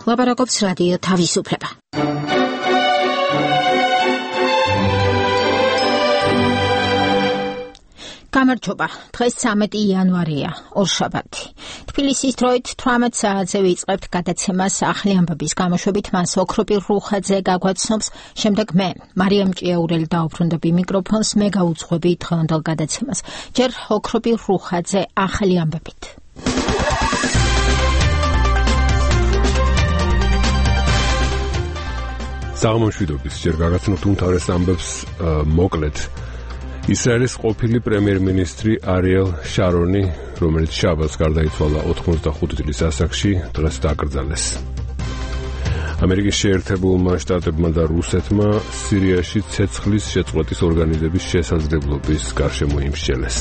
ლაპარაკობს რადიო თავისუფლება. გამარჯობა. დღეს 13 იანვარია, ორშაბათი. თბილისის დროით 18 საათზე ვიწყებთ გადაცემას ახალი ამბების გამოშვებით. მას ოქროპირ რუხაძე გაგვაცნობს, შემდეგ მე, მარიამ ჭიაურელი დაუბრუნდები მიკროფონს, მე გაუძღვები დღევანდელ გადაცემას. ჯერ ოქროპირ რუხაძე ახალი ამბებით. საღამომშვიდობის, ჯერ გაგაცნობთ უმთავრეს ამბებს მოკლედ. ისრაელის ყოფილი პრემიერ-მინისტრი არიელ შარონი, რომელიც შაბათს გარდაიცვალა 85 წლის ასაკში, დღეს დაკრძალეს. ამერიკის შეერთებულმა შტატებმა და რუსეთმა სირიაში ცეცხლის შეწყვეტის ორგანიზების შესაძლებლობის გარშემო იმსჯელეს.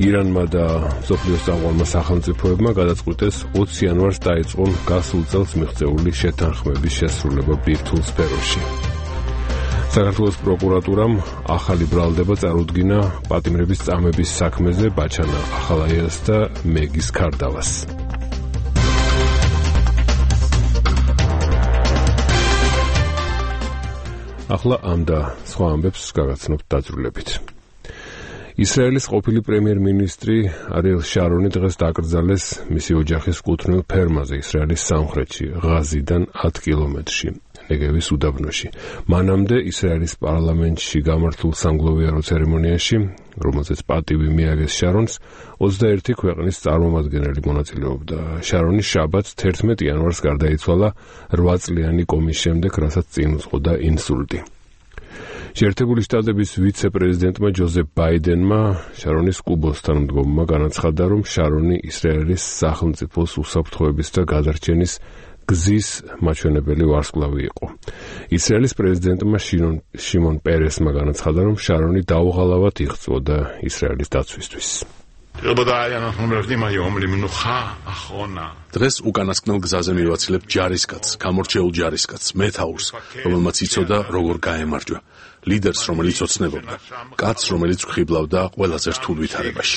ირანმა და მსოფლიოს წამყვანმა სახელმწიფოებმა გადაწყვიტეს 20 იანვარს დაიწყონ გასულ წელს მიღწეული შეთანხმების შესრულება ბირთვულ სფეროში. საქართველოს პროკურატურამ ახალი ბრალდება წარუდგინა პატიმრების წამების საქმეზე ბაჩანა ახალაიას და მეგის ქარდავას. ახლა ამ და სხვა ამბებს გაგაცნობთ დაწვრილებით. ისრაელის ყოფილი პრემიერ-მინისტრი არიელ შარონი დღეს დაკრძალეს მისი ოჯახის კუთვნილ ფერმაზე ისრაელის სამხრეთში, ღაზიდან 10 კილომეტრში. ნეგევის უდაბნოში. მანამდე ისრაელის პარლამენტში გამართულ სამგლოვიარო ცერემონიაში, რომელზეც პატივი მიაგეს შარონს, 21 ქვეყნის წარმომადგენელი მონაწილეობდა. შარონი შაბათს 11 იანვარს გარდაიცვალა 8 წლიანი კომის შემდეგ, რასაც წინ უძღოდა ინსულტი. შეერთებული შტატების ვიცე-პრეზიდენტმა ჯოზეფ ბაიდენმა შარონის კუბოს თანამდგომმა განაცხადა, რომ შარონი ისრაელის სახელმწიფოს უსაფრთხოების და გადარჩენის გზის მაჩვენებელი ვარსკვლავი იყო. ისრაელის პრეზიდენტმა შიმონ პერესმა განაცხადა, რომ შარონი დაუღალავად იღვწოდა ისრაელის დაცვისთვის. დღეს უკანასკნელ გზაზე მივაცილებ ჯარისკაცს, გამორჩეულ ჯარისკაცს, მეთაურს, რომელმაც იცოდა როგორ გაემარჯვა, ლიდერს, რომელიც ოცნებობდა, კაცს, რომელიც ვხიბლავდა ყველაზე რთულ ვითარებაში.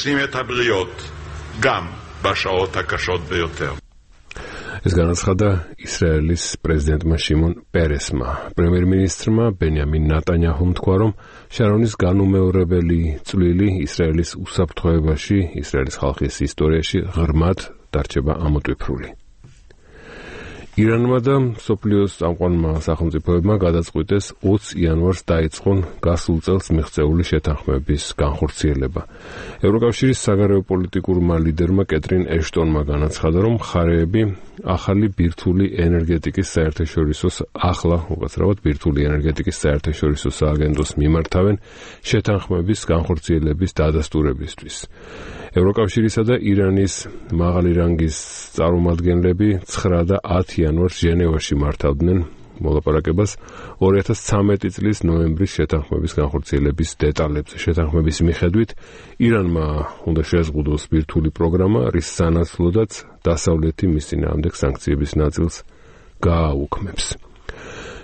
ეს განაცხადა ისრაელის პრეზიდენტმა შიმონ პერესმა. პრემიერ-მინისტრმა ბენიამინ ნეტანიაჰუმ თქვა, რომ შარონის განუმეორებელი წვლილი ისრაელის უსაფრთხოებაში, ისრაელის ხალხის ისტორიაში ღრმად დარჩება ამოტვიფრული. ირანმა და მსოფლიოს წამყვანმა სახელმწიფოებმა გადაწყვიტეს 20 იანვარს დაიწყონ გასულ წელს მიღწეული შეთანხმების განხორციელება. ევროკავშირის საგარეო პოლიტიკურმა ლიდერმა კეტრინ ეშტონმა განაცხადა, რომ მხარეები ახალი ბირთვული ენერგეტიკის საერთაშორისო სააგენტოს მიმართავენ შეთანხმების განხორციელების დადასტურებისთვის. ევროკავშირისა და ირანის მაღალი რანგის წარმომადგენლები 9 და 10 იანვარს ჟენევაში მართავდნენ მოლაპარაკებას 2013 წლის ნოემბრის შეთანხმების განხორციელების დეტალებზე. შეთანხმების მიხედვით ირანმა უნდა შეზღუდოს ბირთვული პროგრამა, რის სანაცვლოდაც დასავლეთი მის წინააღმდეგ სანქციების ნაწილს გააუქმებს.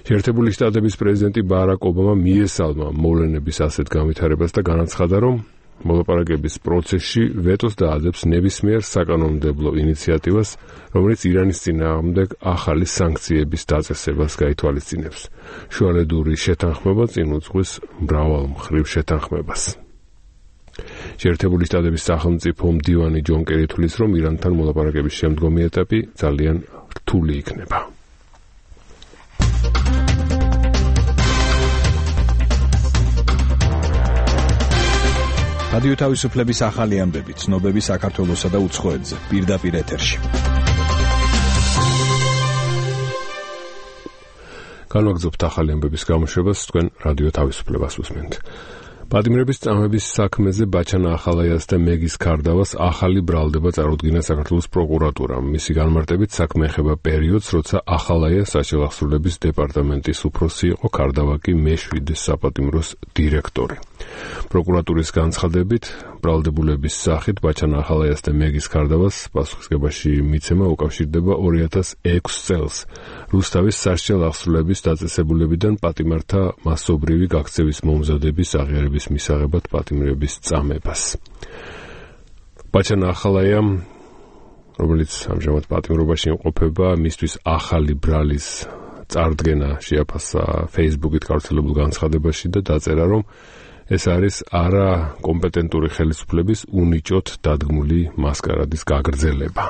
შეერთებული შტატების პრეზიდენტი ბარაკ ობამა მიესალმა მოვლენების ასეთ განვითარებას და განაცხადა, რომ მოლაპარაკების პროცესში ვეტოს დაადებს ნებისმიერ საკანონმდებლო ინიციატივას, რომელიც ირანის წინააღმდეგ ახალი სანქციების დაწესებას გაითვალისწინებს. შუალედური შეთანხმება წინ უძღვის მრავალმხრივ შეთანხმებას. შეერთებული შტატების სახელმწიფო მდივანი ჯონ კერი თვლის, რომ ირანთან მოლაპარაკების შემდგომი ეტაპი ძალიან რთული იქნება. რადიო თავისუფლების ახალი ამბები, ცნობები საქართველოსა და უცხოეთზე, პირდაპირ ეთერში. განვაგრძობთ ახალი ამბების გამოშვებას, თქვენ რადიო თავისუფლებას უსმენთ. პატიმრების წამების საქმეზე ბაჩანა ახალაიას და მეგის ქარდავას ახალი ბრალდება წარუდგინა საქართველოს პროკურატურამ. მისი განმარტებით საქმე ეხება პერიოდს, როცა ახალაია საჭირო აღსრულების დეპარტამენტის უფროსი იყო, ქარდავა კი მე-7 საპატიმროს დირექტორი. პროკურატურის განცხადებით, ბრალდებულების სახით ბაჩანა ახალაიას და მეგის ქარდავას პასუხისგებაში მიცემა უკავშირდება 2006 წელს რუსთავის სასჯელ აღსრულების დაწესებულებიდან პატიმართა მასობრივი გაქცევის მომზადების აღიარების მისაღებად პატიმრების წამებას. ბაჩანა ახალაიამ რომელიც ამჟამად პატიმრობაში იმყოფება, მისთვის ახალი ბრალის წარდგენა შეაფასა Facebook-ით გავრცელებულ განცხადებაში და დაწერა, რომ ეს არის არა კომპეტენტური ხელისუფლების უნიჭოდ დადგმული მასკარადის გაგრძელება.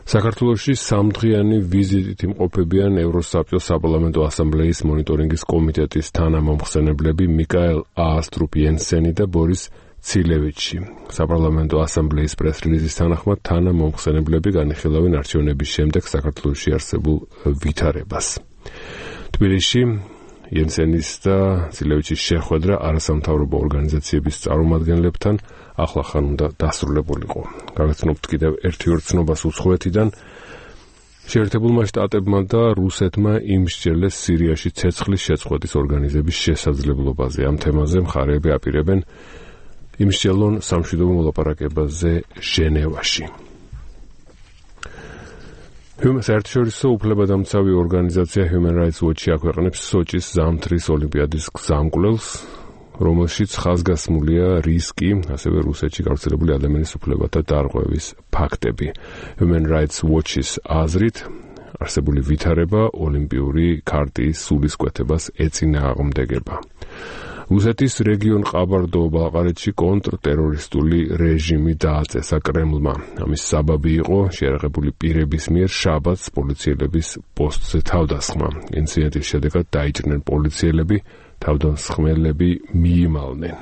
საქართველოში სამდღიანი ვიზიტით იმყოფებიან ევროსაბჭოს საპარლამენტო ასამბლეის მონიტორინგის კომიტეტის თანამომხსენებლები მიკაელ აასტრუპ-იენსენი და ბორის ცილევიჩი. საპარლამენტო ასამბლეის პრეს-რელიზის თანახმად თანამომხსენებლები განიხილავენ არჩევნების შემდეგ საქართველოში არსებულ ვითარებას. თბილისში იენსენის და ცილევიჩის შეხვედრა არასამთავრობო ორგანიზაციების წარმომადგენლებთან ახლახან უნდა დასრულებულიყო. გავაცნობთ კიდევ ერთი ორცნობას უცხოეთიდან. შეერთებულმა შტატებმა და რუსეთმა იმსჯელეს სირიაში ცეცხლის შეწყვეტის ორგანიზების შესაძლებლობაზე. ამ თემაზე მხარეები აპირებენ იმსჯელონ სამშვიდობო მოლაპარაკებაზე ჟენევაში. საერთაშორისო უფლებადამცავი ორგანიზაცია Human Rights Watch აქვეყნებს სოჭის ზამთრის ოლიმპიადის გზამკვლელს, რომელშიც ხაზგასმულია რისკი, ასევე რუსეთში გავრცელებული ადამიანის უფლებათა დარღვევის ფაქტები. Human Rights Watch-ის აზრით, არსებული ვითარება ოლიმპიური ქარტიის სულისკვეთებას ეწინააღმდეგება. რუსეთის რეგიონ ყაბარდო-ბალყარეთში კონტრტერორისტული რეჟიმი დააწესა კრემლმა. ამის საბაბი იყო შეერაღებული პირების მიერ შაბათს პოლიციელების პოსტზე თავდასხმა. ინციდენტის შედეგად დაიჭრნენ პოლიციელები, თავდამსხმელები მიიმალნენ.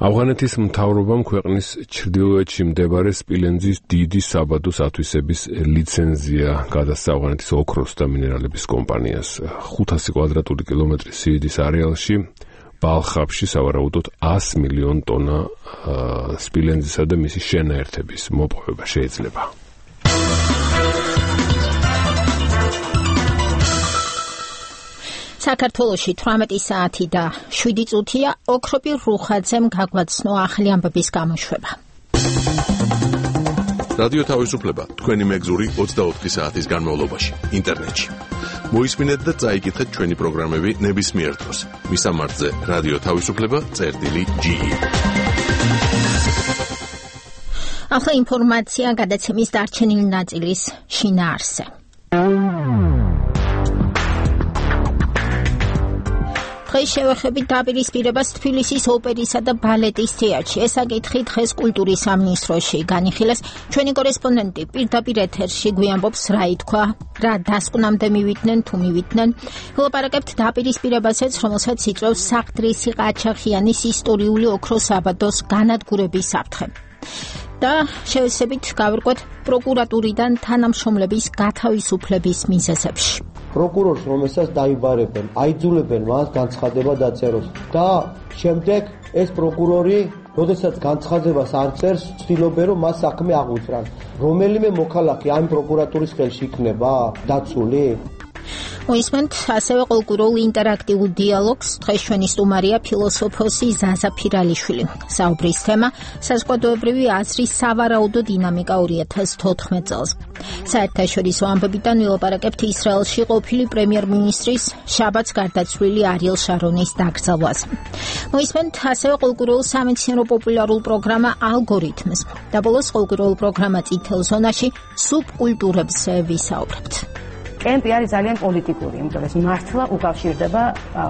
ავღანეთის მთავრობამ ქვეყნის ჩრდილოეთში მდებარე სპილენძის დიდი საბადოს ათვისების ლიცენზია გადასცა ავღანეთის ოქროს და მინერალების კომპანიას. 500 კვადრატული კილომეტრის სიდიდის არეალში ბალხაფში სავარაუდოდ 100 მილიონ ტონა სპილენძისა და მისი შენაერთების მოპოვება შეიძლება. საქართველოში 18 საათი და 7 წუთია ოქროპირ რუხაძემ გაგვაცნო ახლი ამბების გამოშვება. რადიო თავისუფლება თქვენი მეგზური 24 საათის განმავლობაში ინტერნეტში. მოისმინეთ და წაიკითხეთ ჩვენი პროგრამები ნებისმიერ დროს. მისამართზე რადიო თავისუფლება.ge. ახლა ინფორმაცია გადაცემის დარჩენილი ნაწილის შინაარსზე. დღეს შევეხებით დაპირისპირებას თბილისის ოპერისა და ბალეტის თეატრში. ეს საკითხი დღეს კულტურის სამინისტროში განიხილეს. ჩვენი კორესპონდენტი პირდაპირ ეთერში გვიამბობს რა ითქვა, რა დასკვნამდე მივიდნენ თუ მივიდნენ. ვილაპარაკებთ დაპირისპირებასაც, რომელსაც იწვევს საყდრისი ყაჩაღიანის ისტორიული ოქროს საბადოს განადგურების საფრთხე. და შევეცდებით გავირკვეთ პროკურატურიდან თანამშრომლების გათავისუფლების მიზეზებში. პროკურორს, რომელსაც დაიბარებენ, აიძულებენ მას განცხადება დაწეროს და შემდეგ ეს პროკურორი, როდესაც განცხადებას არ წერს, ცდილობენ რომ მას საქმე აღუწრან. რომელიმე მოქალაქე ამ პროკურატურის ხელში იქნება დაცული? მოისმენთ ასევე კულტურულ ინტერაქტიულ დიალოგს. დღეს ჩვენი სტუმარია ფილოსოფოსი ზაზა ფირალიშვილი. საუბრის თემა საზოგადოებრივი აზრის სავარაუდო დინამიკა 2014 წელს. საერთაშორისო ამბებიდან ვილაპარაკებთ ისრაელში ყოფილი პრემიერ-მინისტრის შაბათს გარდაცვლილი არიელ შარონის დაკრძალვაზე. მოისმენთ ასევე კულტურულ სამეცნიერო პოპულარულ პროგრამა ალგორითმს და ბოლოს კულტურულ პროგრამა წითელ ზონაში სუბკულტურებზე ვისაუბრებთ. კემპი არის ძალიან პოლიტიკური, იმიტომ ეს მართლა უკავშირდება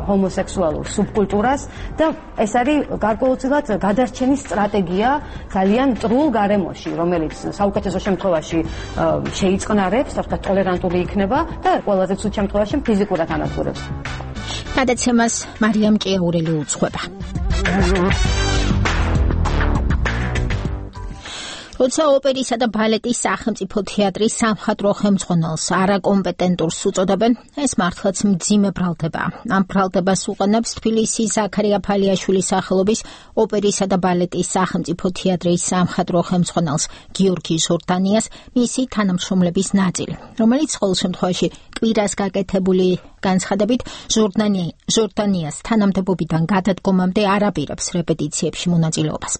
ჰომოსექსუალურ სუბკულტურას და ეს არის გარკვეულწილად გადარჩენის სტრატეგია ძალიან მტრულ გარემოში, რომელიც საუკეთესო შემთხვევაში შეიწყნარებს, თორსა ტოლერანტული იქნება და ყველაზე ცუდ შემთხვევაში ფიზიკურად ანადგურებს. გადაცემას მარიამ ჭიაურელი უძღვება. როცა ოპერისა და ბალეტის სახელმწიფო თეატრის სამხატვრო ხელმძღვანელს არაკომპეტენტურს უწოდებენ, ეს მართლაც მძიმე ბრალდება. ამ ბრალდებას უყენებს თბილისის ზაქარია ფალიაშვილის სახელობის ოპერისა და ბალეტის სახელმწიფო თეატრის სამხატვრო ხელმძღვანელს გიორგი ჟორდანიას მისი თანამშრომლების ნაწილი, რომელიც ყოველ შემთხვევაში კვირას გაკეთებული განცხადებით ჟორდანიას თანამდებობიდან გადადგომამდე არ აპირებს რეპეტიციებში მონაწილეობას.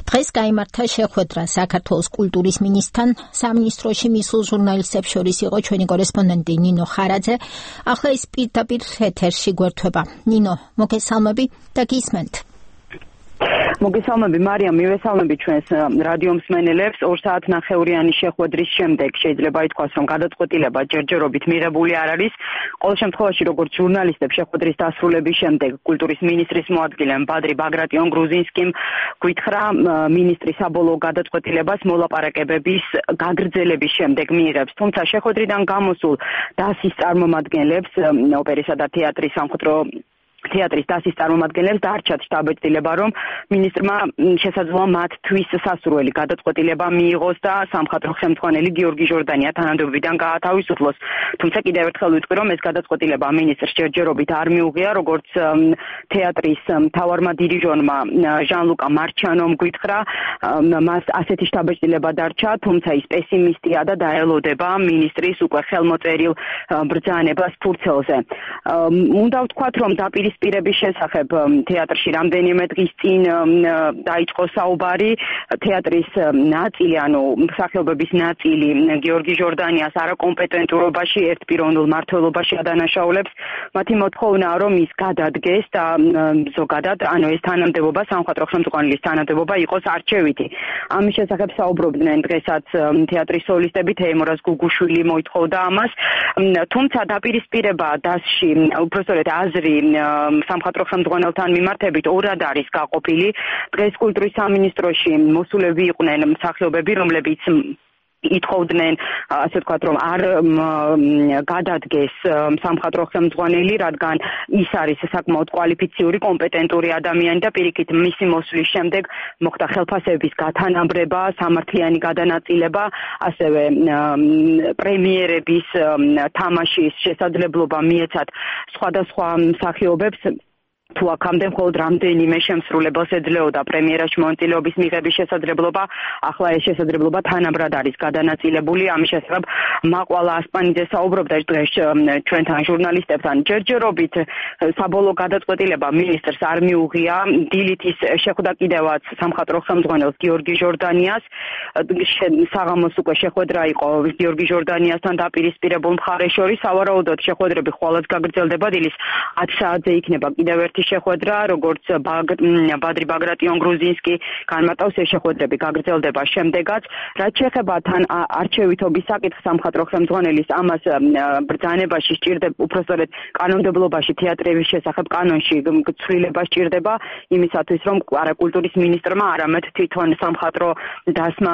დღეს გაიმართა შეხვედრა საქართველოს კულტურის მინისტრთან. სამინისტროში მისულ ჟურნალისტებს შორის იყო ჩვენი კორესპონდენტი ნინო ხარაძე. ახლა ის პირდაპირ ეთერში გვერდება. ნინო, მოგესალმები და გისმენთ. მოგესალმები მარიამ, მივესალმები ჩვენს რადიო მსმენელებს. 2 საათნახევრიანი შეხვედრის შემდეგ შეიძლება ითქვას, რომ გადაწყვეტილება ჯერჯერობით მიღებული არ არის. ყოველ შემთხვევაში, როგორც ჟურნალისტებს შეხვედრის დასრულების შემდეგ კულტურის მინისტრის მოადგილემ ბადრი ბაგრატიონ გრუზინსკიმ გვითხრა, მინისტრი საბოლოო გადაწყვეტილებას მოლაპარაკებების გაგრძელების შემდეგ მიიღებს. თუმცა შეხვედრიდან გამოსულ დასის წარმომადგენლებს, ოპერისა და თეატრის სამხატვრო თეატრის დასის წარმომადგენლებს დარჩათ შტაბ-ბეჭდილება, რომ მინისტრმა შესაძლოა მათთვის სასურველი გადაწყვეტილება მიიღოს და სამხატვრო ხელმძღვანელი გიორგი ჟორდანია თანამდებობიდან გაათავისუფლოს. თუმცა კიდევ ერთხელ ვიტყვი, რომ ეს გადაწყვეტილება მინისტრს ჯერჯერობით არ მიუღია, როგორც თეატრის მთავარმა დირიჟორმა ჟან-ლუკა მარჩანომ გვითხრა, მას ასეთი შტაბ-ბეჭდილება დარჩა, თუმცა ის პესიმისტია და დაელოდება მინისტრის უკვე ხელმოწერილ ბრძანებას ფურცელზე. უნდა ვთქვათ, რომ პირების შესახებ თეატრში რამდენიმე დღის წინ დაიწყო საუბარი. თეატრის ნაწილი, ანუ მსახიობების ნაწილი გიორგი ჟორდანიას არაკომპეტენტურობაში, ერთპიროვნულ მმართველობაში ადანაშაულებს. მათი მოთხოვნაა, რომ ის გადადგეს და ზოგადად, ანუ ეს თანამდებობა, სამხატვრო ხელმძღვანელის თანამდებობა იყოს არჩევითი. ამის შესახებ საუბრობდნენ დღესაც თეატრის სოლისტები, თეიმურაზ გუგუშვილი მოითხოვდა ამას. თუმცა დაპირისპირება დასში, უბრალოდ აზრი სამხატვრო ხელმძღვანელთან მიმართებით ორად არის გაყოფილი. დღეს კულტურის სამინისტროში მოსულები იყვნენ მსახიობები, რომლებიც ითხოვდნენ, ასე ვთქვათ, რომ არ გადადგეს სამხატვრო ხელმძღვანელი, რადგან ის არის საკმაოდ კვალიფიციური, კომპეტენტური ადამიანი და პირიქით მისი მოსვლის შემდეგ მოხდა ხელფასების გათანაბრება, სამართლიანი გადანაწილება, ასევე პრემიერების თამაშის შესაძლებლობა მიეცათ სხვადასხვა მსახიობებს. თუ აქამდე მხოლოდ რამდენიმე შემსრულებელს ეძლეოდა პრემიერაში მონაწილეობის მიღების შესაძლებლობა, ახლა ეს შესაძლებლობა თანაბრად არის გადანაწილებული. ამის შესახებ მაყვალა ასპანიძე საუბრობდა დღეს ჩვენთან ჟურნალისტებთან. ჯერჯერობით საბოლოო გადაწყვეტილება მინისტრს არ მიუღია. დილით ის შეხვდა კიდევაც სამხატვრო ხელმძღვანელს გიორგი ჟორდანიას. საღამოს უკვე შეხვედრა იყო გიორგი ჟორდანიასთან დაპირისპირებულ მხარეს შორის. სავარაუდოდ შეხვედრები ხვალაც გაგრძელდება. დილის 10 საათზე იქნება კიდევ ერთი შეხვედრა, როგორც ბადრი ბაგრატიონ გრუზინსკი განმარტავს, ეს შეხვედრები გაგრძელდება შემდეგაც. რაც შეეხება თან არჩევითობის საკითხს, სამხატვრო ხელმძღვანელის ამას ბრძანებაში სჭირდება, უბრალოდ კანონმდებლობაში თეატრების შესახებ კანონში ცვლილება სჭირდება იმისათვის, რომ არა კულტურის მინისტრმა, არამედ თვითონ სამხატვრო დასმა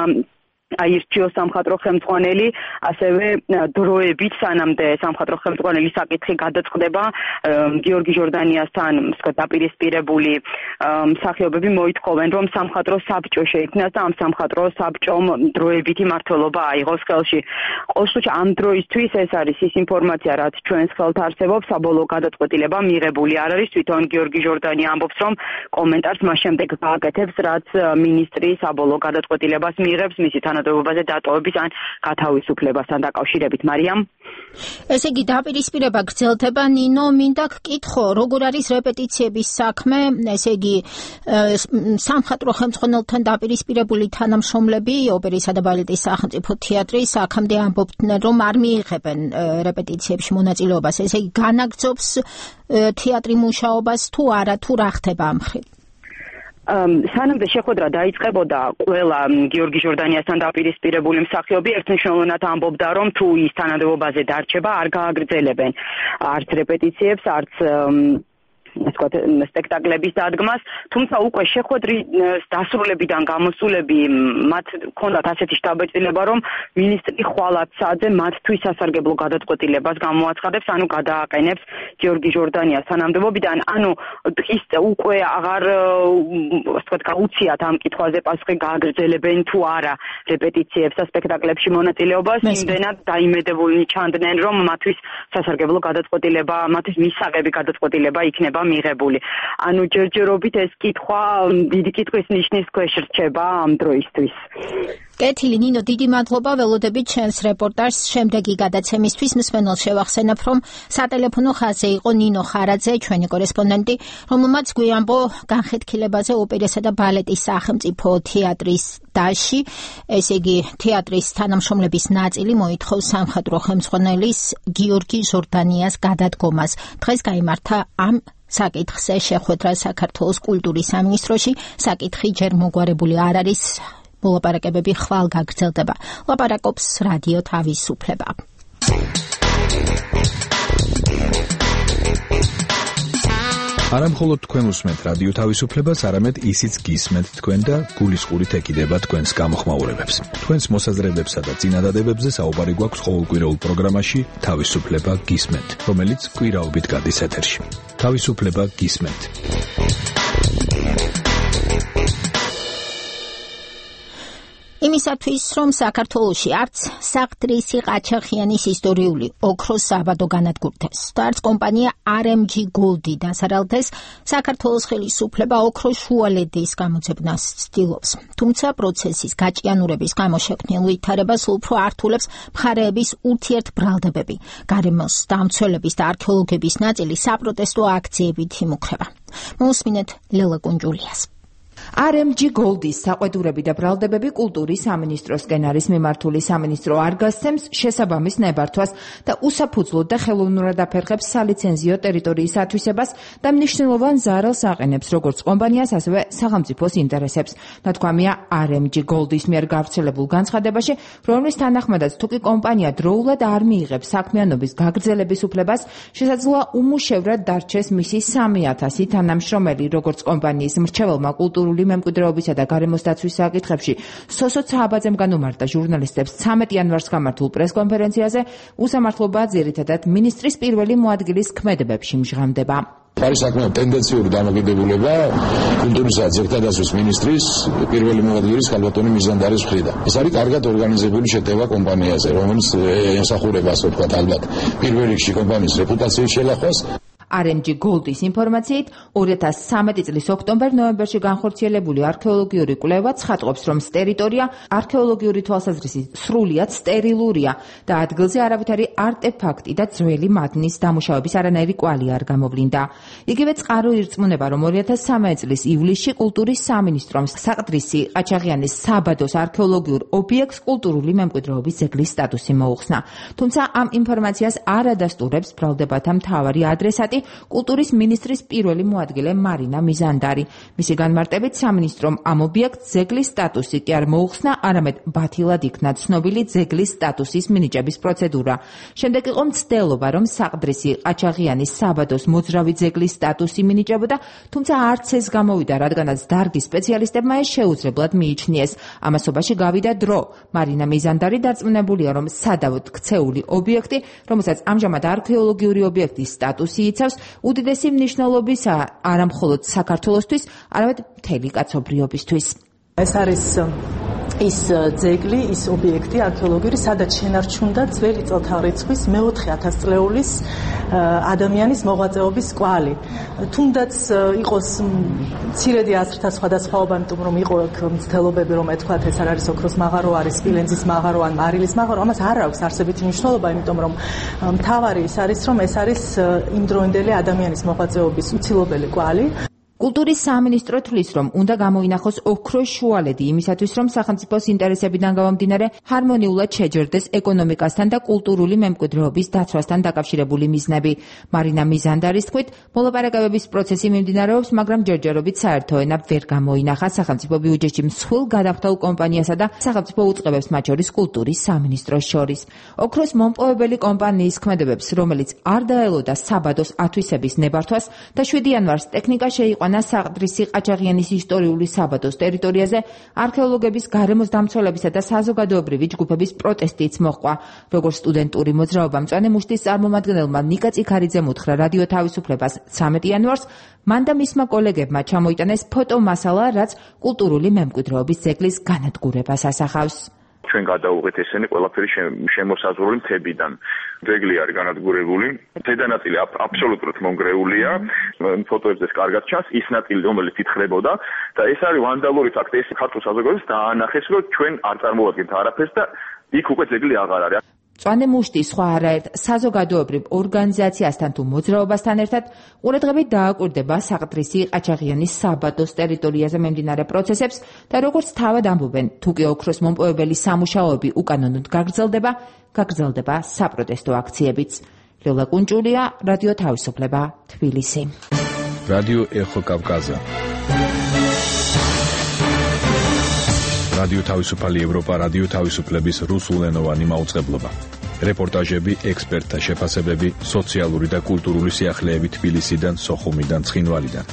აირჩიოს სამხატვრო ხელმძღვანელი, ასევე დროებით სანამდე სამხატვრო ხელმძღვანელის საკითხი გადაწყდება, გიორგი ჟორდანიასთან დაპირისპირებული მსახიობები მოითხოვენ, რომ სამხატვრო საბჭო შეიქმნას და ამ სამხატვრო საბჭომ დროებითი მმართველობა აიღოს ხელში. ყოველ შემთხვევაში ამ დროისთვის ეს არის ის ინფორმაცია, რაც ჩვენს ხელთ არსებობს, საბოლოო გადაწყვეტილება მიღებული არ არის. თვითონ გიორგი ჟორდანია ამბობს, რომ კომენტარს მას შემდეგ გააკეთებს, რაც მინისტრი საბოლოო გადაწყვეტილებას მიიღებს მისი თანამდებობაზე დატოვების ან გათავისუფლებასთან დაკავშირებით. მარიამ, ესე იგი დაპირისპირება გრძელდება. ნინო, მინდა გკითხო, როგორ არის რეპეტიციების საქმე, ესე იგი სამხატვრო ხელმძღვანელთან დაპირისპირებული თანამშრომლები ოპერისა და ბალეტის სახელმწიფო თეატრის აქამდე ამბობდნენ, რომ არ მიიღებენ რეპეტიციებში მონაწილეობას. ესე იგი განაგრძობს თეატრი მუშაობას თუ არა, თუ რა ხდება ამ მხრივ? სანამდე შეხვედრა დაიწყებოდა, ყველა გიორგი ჟორდანიასთან დაპირისპირებული მსახიობი ერთმნიშვნელოვნად ამბობდა, რომ თუ ის თანამდებობაზე დარჩება, არ გააგრძელებენ არც რეპეტიციებს, არც სპექტაკლების დადგმას, თუმცა უკვე შეხვედრის დასრულებიდან გამოსულები მათ ჰქონდათ ასეთი შტაბ-ბეჭდილება, რომ მინისტრი ხვალად საათზე მათთვის სასარგებლო გადაწყვეტილებას გამოაცხადებს, ანუ გადააყენებს გიორგი ჟორდანიას თანამდებობიდან, ანუ დღის უკვე აღარ გაუციათ ამ კითხვაზე პასუხი, გააგრძელებენ თუ არა რეპეტიციებს და სპექტაკლებში მონაწილეობას, იმდენად დაიმედებულნი ჩანდნენ, რომ მათთვის სასარგებლო გადაწყვეტილება, მათთვის მისაღები გადაწყვეტილება იქნება მიღებული. ანუ ჯერჯერობით ეს კითხვა დიდი კითხვის ნიშნის ქვეშ რჩება ამ დროისთვის. კეთილი ნინო, დიდი მადლობა ველოდებით ჩვენს რეპორტაჟს. შემდეგი გადაცემისთვის მსმენელს შევახსენებ, რომ სატელეფონო ხაზზე იყო ნინო ხარაძე, ჩვენი კორესპონდენტი, რომელმაც გვიამბო განხეთქილებაზე ოპერასა და ბალეტის სახელმწიფო თეატრის დაში, ესე იგი თეატრის თანამშრომლების ნაწილი მოითხოვს სამხედრო ხელმძღვანელის გიორგი ჟორდანიას გადადგომას. დღეს გაიმართა ამ საკითხზე შეხვედრა საქართველოს კულტურის სამინისტროში. საკითხი ჯერ მოგვარებული არ არის. მოლაპარაკებები ხვალ გაგრძელდება. ლაპარაკობს რადიო თავისუფლება. არა მხოლოდ თქვენ უსმენთ რადიო თავისუფლებას, არამედ ისიც გისმენთ თქვენ და გულისყურით ეკიდება თქვენს გამოხმაურებებს. თქვენს მოსაზრებებსა და წინადადებებზე საუბარი გვაქვს ყოველკვირეულ პროგრამაში თავისუფლება გისმენთ, რომელიც კვირაობით გადის ეთერში. თავისუფლება გისმენთ. იმისათვის, რომ საქართველოში არც საყდრისი ყაჩაღიანის ისტორიული ოქროს საბადო განადგურდეს და არც კომპანია RMG Gold-ი დასარალდეს, საქართველოს ხელისუფლება ოქროს შუალედის გამოძებნას ცდილობს. თუმცა პროცესის გაჭიანურების გამო შექმნილ ვითარებას უფრო ართულებს მხარეების ურთიერთბრალდებები. გარემოს დამცველების და არქეოლოგების ნაწილი საპროტესტო აქციებით იმუქრება. მოусმინეთ ლელა კუნჯულიას. RMG Gold-ის საყვედურები და ბრალდებები კულტურის სამინისტროსკენ არის მიმართული. სამინისტრო არ გასცემს შესაბამის ნებართვას და უსაფუძვლოდ და ხელოვნურად აფერხებს სალიცენზიო ტერიტორიის ათვისებას და მნიშვნელოვან ზარალს აყენებს როგორც კომპანიას, ასევე სახელმწიფოს ინტერესებს. ნათქვამია RMG Gold-ის მიერ გავრცელებულ განცხადებაში, რომლის თანახმადაც თუკი კომპანია დროულად არ მიიღებს საქმიანობის გაგრძელების უფლებას, შესაძლოა უმუშევრად დარჩეს მისი 3000 თანამშრომელი, როგორც კომპანიის მრჩეველმა კულტურული მემკვიდრეობისა და გარემოს დაცვის საკითხებში სოსო ცაბაძემ განუმარტა ჟურნალისტებს 13 იანვარს გამართულ პრესკონფერენციაზე, უსამართლობა ძირითადად მინისტრის პირველი მოადგილის ქმედებებში მჟღამდება. არის საკმაოდ ტენდენციური დამოკიდებულება კულტურისა და ძეგლთა დაცვის მინისტრის პირველი მოადგილის ქალბატონი მიზანდარის მხრიდან. ეს არის კარგად ორგანიზებული შეტევა კომპანიაზე, რომელიც ემსახურება, ასე ვთქვათ, ალბათ პირველ რიგში კომპანიის რეპუტაციის შელახვას. RMG Gold-ის ინფორმაციით 2013 წლის ოქტომბერ-ნოემბერში განხორციელებული არქეოლოგიური კვლევა ცხადყოფს, რომ ტერიტორია არქეოლოგიური თვალსაზრისით სრულიად სტერილურია და ადგილზე არავითარი არტეფაქტი და ძველი მადნის დამუშავების არანაირი კვალი არ გამოვლინდა. იგივე წყარო ირწმუნება, რომ 2013 წლის ივლისში კულტურის სამინისტრომ საყდრისი ყაჩაღიანის საბადოს არქეოლოგიურ ობიექტს კულტურული მემკვიდრეობის ძეგლის სტატუსი მოუხსნა. თუმცა ამ ინფორმაციას არ ადასტურებს ბრალდებათა მთავარი ადრესატი კულტურის მინისტრის პირველი მოადგილე მარინა მიზანდარი. მისი განმარტებით სამინისტრომ ამ ობიექტს ძეგლის სტატუსი კი არ მოუხსნა, არამედ ბათილად იქნა ცნობილი ძეგლის სტატუსის მინიჭების პროცედურა. შემდეგ იყო მცდელობა, რომ საყდრისი ყაჩაღიანის საბადოს მოძრავი ძეგლის სტატუსი მინიჭებოდა, თუმცა არც ეს გამოვიდა, რადგანაც დარგის სპეციალისტებმა ეს შეუძლებლად მიიჩნიეს. ამასობაში გავიდა დრო. მარინა მიზანდარი დარწმუნებულია, რომ სადავოდ ქცეული ობიექტი, რომელსაც ამჟამად არქეოლოგიური ობიექტის სტატუსი იცავს, უდიდესი მნიშვნელობისაა არა მხოლოდ საქართველოსთვის, არამედ მთელი კაცობრიობისთვის. ეს არის ის ძეგლი, ის ობიექტი არქეოლოგიური, სადაც შენარჩუნდა ძველი წელთაღრიცხვის მე-4000 წლეულის ადამიანის მოღვაწეობის კვალი. თუნდაც იყოს მცირედი აზრთა სხვადასხვაობა, იმიტომ რომ იყო მცდელობები, რომ ეთქვათ ეს არ არის ოქროს მაღარო, არის სპილენძის მაღარო ან მარილის მაღარო, ამას არ აქვს არსებითი მნიშვნელობა, იმიტომ რომ მთავარი ის არის, რომ ეს არის იმდროინდელი ადამიანის მოღვაწეობის უცილობელი კვალი. კულტურის სამინისტრო თვლის, რომ უნდა გამოინახოს ოქროს შუალედი იმისათვის, რომ სახელმწიფოს ინტერესებიდან გამომდინარე ჰარმონიულად შეჯერდეს ეკონომიკასთან და კულტურული მემკვიდრეობის დაცვასთან დაკავშირებული მიზნები. მარინა მიზანდარის თქმით, მოლაპარაკებების პროცესი მიმდინარეობს, მაგრამ ჯერჯერობით საერთო ენა ვერ გამოინახა სახელმწიფო ბიუჯეტში მსხვილ გადახდაულ კომპანიასა და სახელმწიფო უწყებებს, მათ შორის კულტურის სამინისტროს შორის. ოქროს მომპოვებელი კომპანიის ქმედებებს, რომელიც არ დაელოდა საბადოს ათვისების ნებართვას და 7 იანვარს ტექნიკა შეიყვანა საყდრისი ყაჩაღიანის ისტორიული საბადოს ტერიტორიაზე, არქეოლოგების გარემოს დამცველებისა და საზოგადოებრივი ჯგუფების პროტესტიც მოჰყვა. როგორც სტუდენტური მოძრაობა მწვანე მუშტის წარმომადგენელმა ნიკა წიქარიძემ უთხრა რადიო თავისუფლებას 13 იანვარს, მან და მისმა კოლეგებმა ჩამოიტანეს ფოტომასალა, რაც კულტურული მემკვიდრეობის ძეგლის განადგურებას ასახავს. ჩვენ გადავუღეთ ესენი ყველაფერი შემოსაზღვრული მთებიდან. ძეგლი არის განადგურებული, დედანაწილი აბსოლუტურად მონგრეულია, ფოტოებზეც კარგად ჩანს, ის ნაწილი რომელიც ითხრებოდა და ეს არის ვანდალური ფაქტი, ეს ქართულ საზოგადოებას დაანახეს, რომ ჩვენ არ წარმოვადგენთ არაფერს და იქ უკვე ძეგლი აღარ არის. მწვანე მუშტი სხვა არაერთ საზოგადოებრივ ორგანიზაციასთან თუ მოძრაობასთან ერთად ყურადღებით დააკვირდება საყდრისი ყაჩაღიანის საბადოს ტერიტორიაზე მიმდინარე პროცესებს და როგორც თავად ამბობენ, თუ კი ოქროს მომპოვებელი სამუშაოები უკანონოდ გაგრძელდება საპროტესტო აქციებიც. ლელა კუნჭულია, რადიო თავისუფლება, თბილისი. რადიო ეხო კავკაზა. რადიო თავისუფალი ევროპა, რადიო თავისუფლების რუსულენოვანი მაუწყებლობა. რეპორტაჟები, ექსპერტთა შეფასებები, სოციალური და კულტურული სიახლეები თბილისიდან, სოხუმიდან, ცხინვალიდან.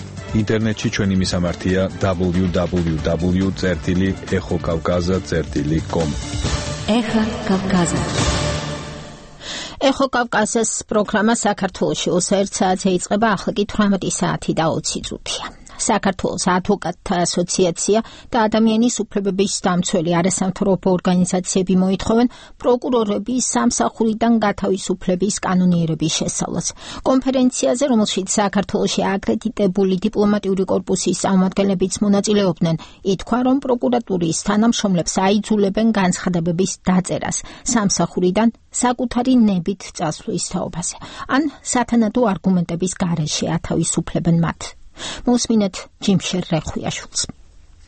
ინტერნეტში ჩვენი მისამართია www.exokavkaza.com. ეხა კავკაზა. ეხო კავკაზას პროგრამა საქართველოში 21 საათზე იწყება, ახლა კი 18 საათი და 20 წუთია. საქართველოს ადვოკატთა ასოციაცია და ადამიანის უფლებების დამცველი არასამთავრობო ორგანიზაციები მოითხოვენ პროკურორების სამსახურიდან გათავისუფლების კანონიერების შესწავლას. კონფერენციაზე, რომელშიც საქართველოში აკრედიტებული დიპლომატიური კორპუსის წარმომადგენლებიც მონაწილეობდნენ, ითქვა, რომ პროკურატურის თანამშრომლებს აიძულებენ განცხადებების დაწერას სამსახურიდან საკუთარი ნებით წასვლის თაობაზე, ან სათანადო არგუმენტების გარეშე ათავისუფლებენ მათ. მოსმინეთ ჯიმშერ რეხვიაშვილს.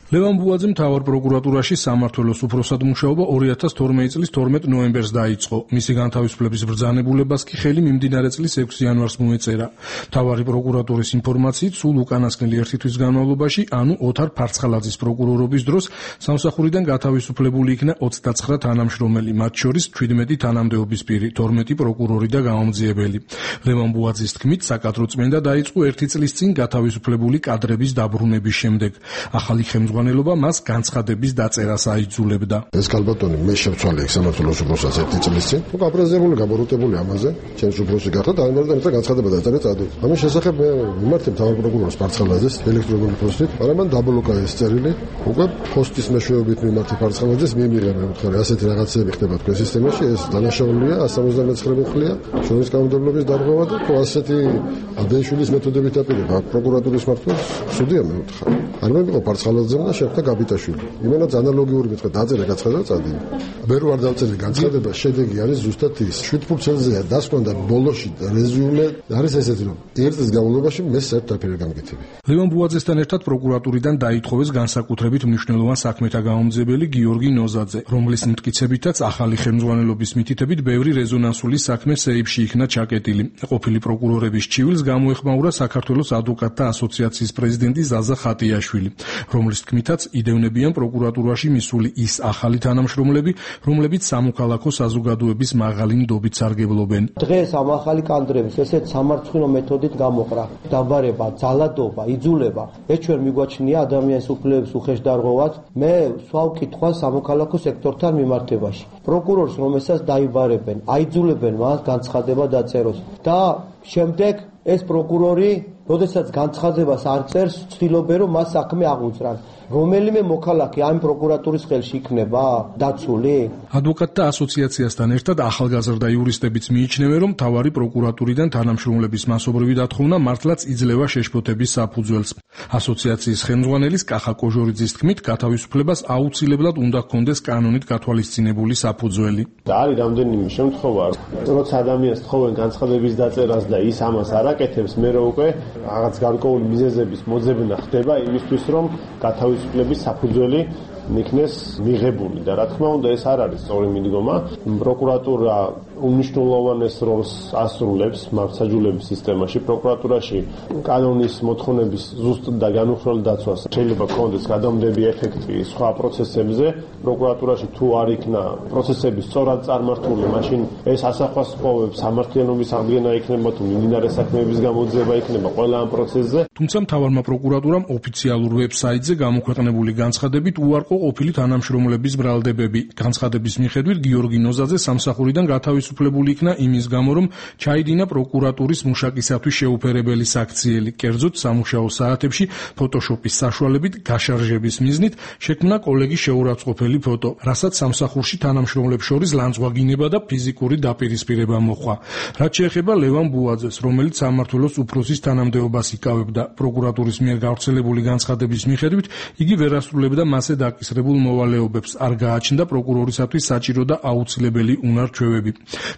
ლევან ბუაძე მთავარ პროკურატურაში სამმართველოს უფროსად მუშაობა 2012 წლის 12 ნოემბერს დაიწყო. მისი განთავისუფლების ბრძანებულებას კი ხელი მიმდინარე წლის 6 იანვარს მოეწერა. მთავარი პროკურატურის ინფორმაციით, სულ უკანასკნელი 1 თვის განმავლობაში, ანუ ოთარ ფარცხალაძის პროკურორობის დროს სამსახურიდან გათავისუფლებული იქნა 29 თანამშრომელი, მათ შორის 17 თანამდებობის პირი, 12 პროკურორი და გამომძიებელი. ლევან ბუაძის თქმით, საკადროწმენდა დაიწყო 1 წლის წინ გათავისუფლებული კადრების დაბრუნების შემდეგ. ახალი ხელმძღვანელობა მას განცხადების დაწერას აიძულებდა. ეს ქალბატონი მე შევცვალე სამმართველოს უფროსად 1 წლის წინ. გაპრეზებული, გაბოროტებული ამაზე, ჩემს უფროსი გახდა და ამერიდან განცხადება დაწერა წადით. ამის შესახებ მე მიმართე მთავარ პროკურორს ფარცხალაძეს ელექტრონული პოსტით, მაგრამ მან დაბლოკა ეს წერილი. უკვე პოსტის მეშვეობით მიმართე ფარცხალაძეს მიიღე მე ვთქვი, ასეთი რაღაცები ხდება თქვენ სისტემაში, ეს დანაშაულია 179 მხლეა, შრომის კანონმდებლობის დარღვევა და ასეთი აბეშვილის მეთოდებით აპირება პროკურატურის მმართველს სუდია მე ვთქვა. არ მეგო ფარცხალაძე და შეხვდა გაბიტაშვილი. იმენაც ანალოგიური მეთქვა დაწერა გაცხადა წადი. მე რო არ დავწერე განცხადება, შედეგი არის ზუსტად ის. 7 ფურცელზეა დასკვნა ბოლოში რეზიუმე არის ესეთი, რომ 1 წლის განმავლობაში მე საერთოდ არ გამგეთები. ლევან ბუაძესთან ერთად პროკურატურიდან დაითხოვეს განსაკუთრებით მნიშვნელოვან საქმეთა გამომძიებელი გიორგი ნოზაძე, რომლის მტკიცებითაც ახალი ხელმძღვანელობის მითითებით ბევრი რეზონანსული საქმე სეიფში იქნა ჩაკეტილი. ყოფილი პროკურორების ჩივილს გამოეხმაურა საქართველოს ადვოკატთა ასოციაციის პრეზიდენტი ზაზა ხატიაშვილი, რომლის თქმითაც იდევნებიან პროკურატურაში მისული ის ახალი თანამშრომლები, რომლებიც სამოქალაქო საზოგადოების მაღალი ნდობით სარგებლობენ. დღეს ამ ახალი კადრების ესეთ სამარცხვინო მეთოდით გამოყრა, დაბარება, ძალადობა, იძულება, ეს ჩვენ მიგვაჩნია ადამიანის უფლებების უხეშდარღვევად. მე სვავ კითხვას სამოქალაქო სექტორთან მიმართებაში. პროკურორს, რომელსაც დაიბარებენ, აიძულებენ მას განცხადება დაწეროს და შემდეგ ეს პროკურორი, როდესაც განცხადებას არ წერს, ცდილობენ რომ მას საქმე აღუძრან. რომელიმე მოქალაქე ამ პროკურატურის ხელში იქნება დაცული? ადვოკატთა ასოციაციასთან ერთად ახალგაზრდა იურისტებიც მიიჩნევენ, რომ მთავარი პროკურატურიდან თანამშრომლების მასობრივი დათხოვნა მართლაც იძლევა შეშფოთების საფუძველს. ასოციაციის ხელმძღვანელის კახა კოჟორიძის თქმით, გათავისუფლებას აუცილებლად უნდა ჰქონდეს კანონით გათვალისწინებული საფუძველი. არის რამდენიმე შემთხვევა, როცა ადამიანს თხოვენ განცხადების დაწერას და ის ამას არ აკეთებს, მე რო უკვე რაღაც გარკვეული მიზეზების მოძებნა ხდება იმისთვის, რომ გათავისუფლების საფუძველი იქნეს მიღებული და რა თქმა უნდა ეს არ არის სწორი მიდგომა. პროკურატურა უმნიშვნელოვანეს როლს ასრულებს მართლმსაჯულების სისტემაში. პროკურატურაში კანონის მოთხოვნების ზუსტ და განუხრელი დაცვას შეიძლება ჰქონდეს გადამდები ეფექტი სხვა პროცესებზე. პროკურატურაში თუ არ იქნა პროცესები სწორად წარმართული, მაშინ ეს ასახვას ყოფს სამართლიანობის აღდგენა იქნება თუ მიმდინარე საქმეების გამოძიება იქნება ყველა ამ პროცესზე. თუმცა მთავარმა პროკურატურამ ოფიციალურ ვებსაიტზე გამოქვეყნებული განცხადებით უარყო ყოფილი თანამშრომლების ბრალდებები. განცხადების მიხედვით გიორგი ნოზაძე სამსახურიდან გათავისუფლებული იქნა იმის გამო, რომ ჩაიდინა პროკურატურის მუშაკისათვის შეუფერებელი საქციელი. კერძოდ სამუშაო საათებში ფოტოშოპის საშუალებით გაშარჟების მიზნით შექმნა კოლეგის შეურაცხყოფელი ფოტო, რასაც სამსახურში თანამშრომლებს შორის ლანძღვაგინება და ფიზიკური დაპირისპირება მოჰყვა. რაც შეეხება ლევან ბუაძეს, რომელიც სამმართველოს უფროსის თანამდებობას იკავებდა, პროკურატურის მიერ გავრცელებული განცხადების მიხედვით იგი ვერ ასრულებდა მასზე დაკისრებულ მოვალეობებს, არ გააჩნდა პროკურორისათვის საჭირო და აუცილებელი უნარ-ჩვევები.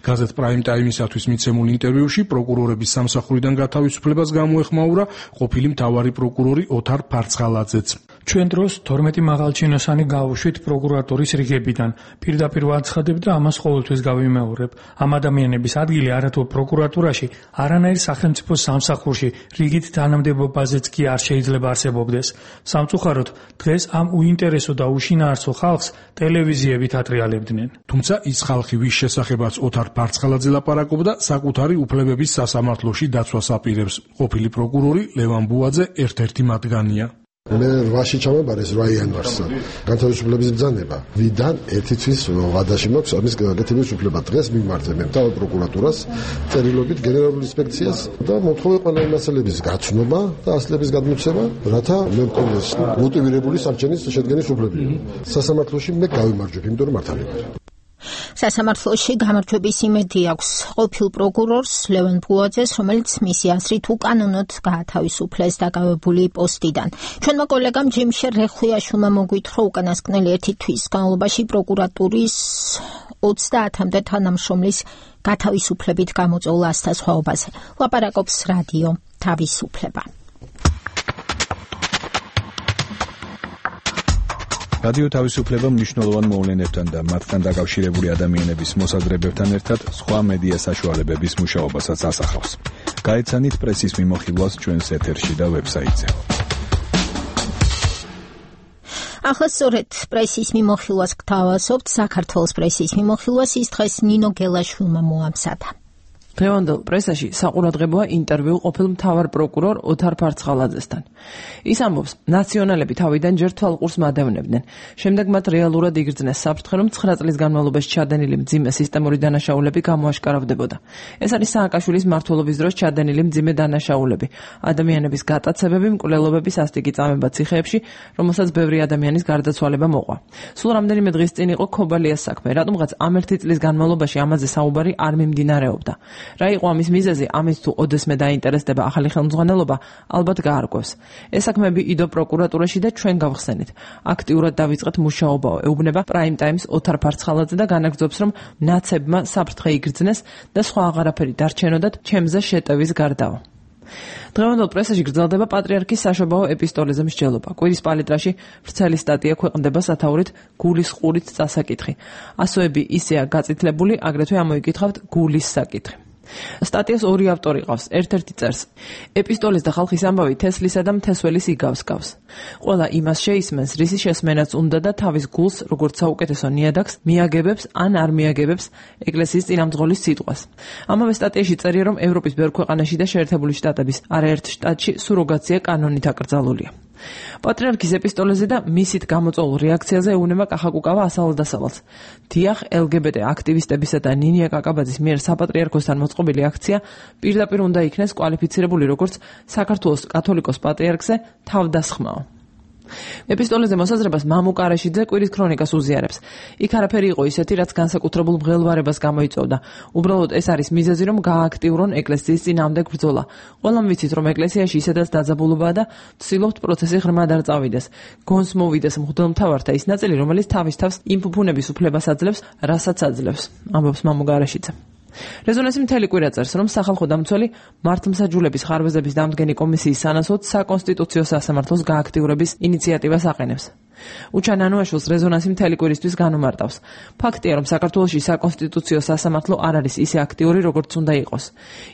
გაზეთ პრაიმ ტაიმისათვის მიცემულ ინტერვიუში პროკურორების სამსახურიდან გათავისუფლებას გამოეხმაურა ყოფილი მთავარი პროკურორი ოთარ ფარცხალაძეც. ჩვენ დროს 12 მაღალჩინოსანი გავუშვით პროკურატურის რიგებიდან. პირდაპირ ვაცხადებ და ამას ყოველთვის გავიმეორებ. ამ ადამიანების ადგილი არათუ პროკურატურაში, არანაირ სახელმწიფო სამსახურში რიგით თანამდებობაზეც კი არ შეიძლება არსებობდეს. სამწუხაროდ, დღეს ამ უინტერესო და უშინაარსო ხალხს ტელევიზიებით ატრიალებდნენ. თუმცა ის ხალხი, ვის შესახებაც ოთარ ფარცხალაძე ლაპარაკობდა, საკუთარი უფლებების სასამართლოში დაცვას აპირებს. ყოფილი პროკურორი ლევან ბუაძე ერთ-ერთი მათგანია. მე 8-ში ჩამაბარეს 8 იანვარს განთავისუფლების ბრძანება. ვიდან ერთი თვის ვადაში მაქვს ამის გაკეთების უფლება. დღეს მიმართე მე მთავარ პროკურატურას წერილობით გენერალურ ინსპექციას და მოთხოვე ყველა მასალების გაცნობა და ასლების გადმოცემა, რათა მე მქონდეს მოტივირებული სარჩენის შედგენის უფლები. სასამართლოში მე გავიმარჯვებ, იმიტომ რომ მართალი ვარ. სასამართლოში გამარჯვების იმედი აქვს ყოფილ პროკურორს ლევან ბუაძეს, რომელიც მისი აზრით უკანონოდ გაათავისუფლეს დაკავებული პოსტიდან. ჩვენმა კოლეგამ ჯიმშე რეხვიაშვილმა მოგვითხრო უკანასკნელი 1 თვის განმავლობაში პროკურატურის 30-მდე თანამშრომლის გათავისუფლებით გამოწვეულ ასთასხვაობაზე. ლაპარაკობს რადიო თავისუფლება. რადიო თავისუფლება მნიშვნელოვან მოვლენებთან და მათთან დაკავშირებული ადამიანების მოსაზრებებთან ერთად სხვა მედია საშუალებების მუშაობასაც ასახავს. გაეცანით პრესის მიმოხილვას ჩვენს ეთერში და ვებსაიტზე. ახლა სწორედ პრესის მიმოხილვას გთავაზობთ. საქართველოს პრესის მიმოხილვას ის დღეს ნინო გელაშვილმა მოამზადა. დღევანდელ პრესაში საყურადღებოა ინტერვიუ ყოფილ მთავარ პროკურორ ოთარ ფარცხალაძესთან. ის ამბობს, ნაციონალები თავიდან ჯერ თვალყურს მადევნებდნენ. შემდეგ მათ რეალურად იგრძნეს საფრთხე, რომ 9 წლის განმავლობაში ჩადენილი მძიმე სისტემური დანაშაულები გამოაშკარავდებოდა. ეს არის სააკაშვილის მმართველობის დროს ჩადენილი მძიმე დანაშაულები, ადამიანების გატაცებები, მკვლელობების ასტიკი წამება ციხეებში, რომელსაც ბევრი ადამიანის გარდაცვალება მოყვა. სულ რამდენიმე დღის წინ იყო ქობალიას საქმე, რატომღაც ამ 1 წლის განმავლობაში ამაზე საუბარი არ მიმდინარეობდა. რა იყო ამის მიზეზი, ამის თუ ოდესმე დაინტერესდება ახალი ხელმძღვანელობა, ალბათ გაარკვევს. ეს საქმეები იდო პროკურატურაში და ჩვენ გავხსენით. აქტიურად დავიწყეთ მუშაობაო, ეუბნება პრაიმ ტაიმს ოთარ ფარცხალაძე და განაგრძობს, რომ ნაცებმა საფრთხე იგრძნეს და სხვა აღარაფერი დარჩენოდათ ჩემზე შეტევის გარდაო. დღევანდელ პრესაში გრძელდება პატრიარქის საშობაო ეპისტოლეზე მსჯელობა. კვირის პალიტრაში ვრცელი სტატია ქვეყნდება სათაურით გულის ყურით წასაკითხი. ასოები ისეა გაწითლებული, აგრეთვე ამოიკითხავთ გულის საკითხი. სტატიას ორი ავტორი ყავს. ერთ-ერთი წერს: ეპისტოლეს და ხალხის ამბავი თესლისა და მთესველის იგავს გავს. ყველა იმას შეისმენს, რისი შესმენაც უნდა და თავის გულს, როგორც საუკეთესო ნიადაგს, მიაგებებს ან არ მიაგებებს ეკლესიის წინამძღოლის სიტყვას. ამავე სტატიაში წერია, რომ ევროპის ბევრ ქვეყანაში და შეერთებული შტატების არაერთ შტატში სუროგაცია კანონით აკრძალულია. პატრიარქის ეპისტოლეზე და მისით გამოწვეულ რეაქციაზე ეუბნება კახაკუკავა ასალ-დასალალს. დიახ, LGBT აქტივისტებისა და ნინია კაკაბაძის მიერ საპატრიარქოსთან მოწყობილი აქცია პირდაპირ უნდა იქნეს კვალიფიცირებული როგორც საქართველოს კათოლიკოს პატრიარქზე თავდასხმაო. ეპისტოლეზე მოსაზრებას მამუ კარაშიძე კვირის ქრონიკას უზიარებს. იქ არაფერი იყო ისეთი, რაც განსაკუთრებულ მღელვარებას გამოიწვევდა. უბრალოდ ეს არის მიზეზი, რომ გააქტიურონ ეკლესიის წინააღმდეგ ბრძოლა. ყველამ ვიცით, რომ ეკლესიაში ისედაც დაძაბულობაა და ვცდილობთ პროცესი ღრმად არ წავიდეს. გონს მოვიდეს მღვდელმთავართა ის ნაწილი, რომელიც თავის თავს იმ ფუფუნების უფლებას აძლევს, რასაც აძლევს, ამბობს მამუ კარაშიძე. რეზონანსი მთელი კვირა წერს, რომ სახალხო დამცველი მართლმსაჯულების ხარვეზების დამდგენი კომისიის სანაცვლოდ საკონსტიტუციო სასამართლოს გააქტიურების ინიციატივას აყენებს. უჩან ანუაშვილს რეზონანსი მთელი კვირისთვის განუმარტავს. ფაქტია, რომ საქართველოში საკონსტიტუციო სასამართლო არ არის ისე აქტიური, როგორც უნდა იყოს.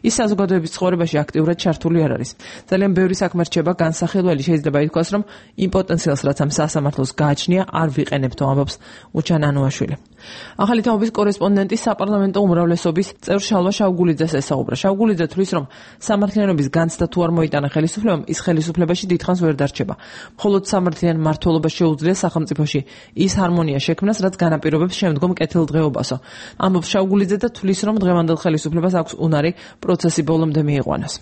ის საზოგადოების ცხოვრებაში აქტიურად ჩართული არ არის. ძალიან ბევრი საქმე რჩება განსახილველი, შეიძლება ითქვას, რომ იმ პოტენციალს, რაც ამ სასამართლოს გააჩნია, არ ვიყენებთო, ამბობს უჩან ანუაშვილი. ახალი თაობის კორესპონდენტი საპარლამენტო უმრავლესობის წევრ შალვა შავგულიძეს ესაუბრა. შავგულიძე თვლის, რომ სამართლიანობის განცდა თუ არ მოიტანა ხელისუფლებამ, ის ხელისუფლებაში დიდხანს ვერ დარჩება. მხოლოდ სამართლიან მმართველობას შეუძლია სახელმწიფოში ის ჰარმონია შექმნას, რაც განაპირობებს შემდგომ კეთილდღეობასო. ამბობს შავგულიძე და თვლის, რომ დღევანდელ ხელისუფლებას აქვს უნარი პროცესი ბოლომდე მიიყვანოს.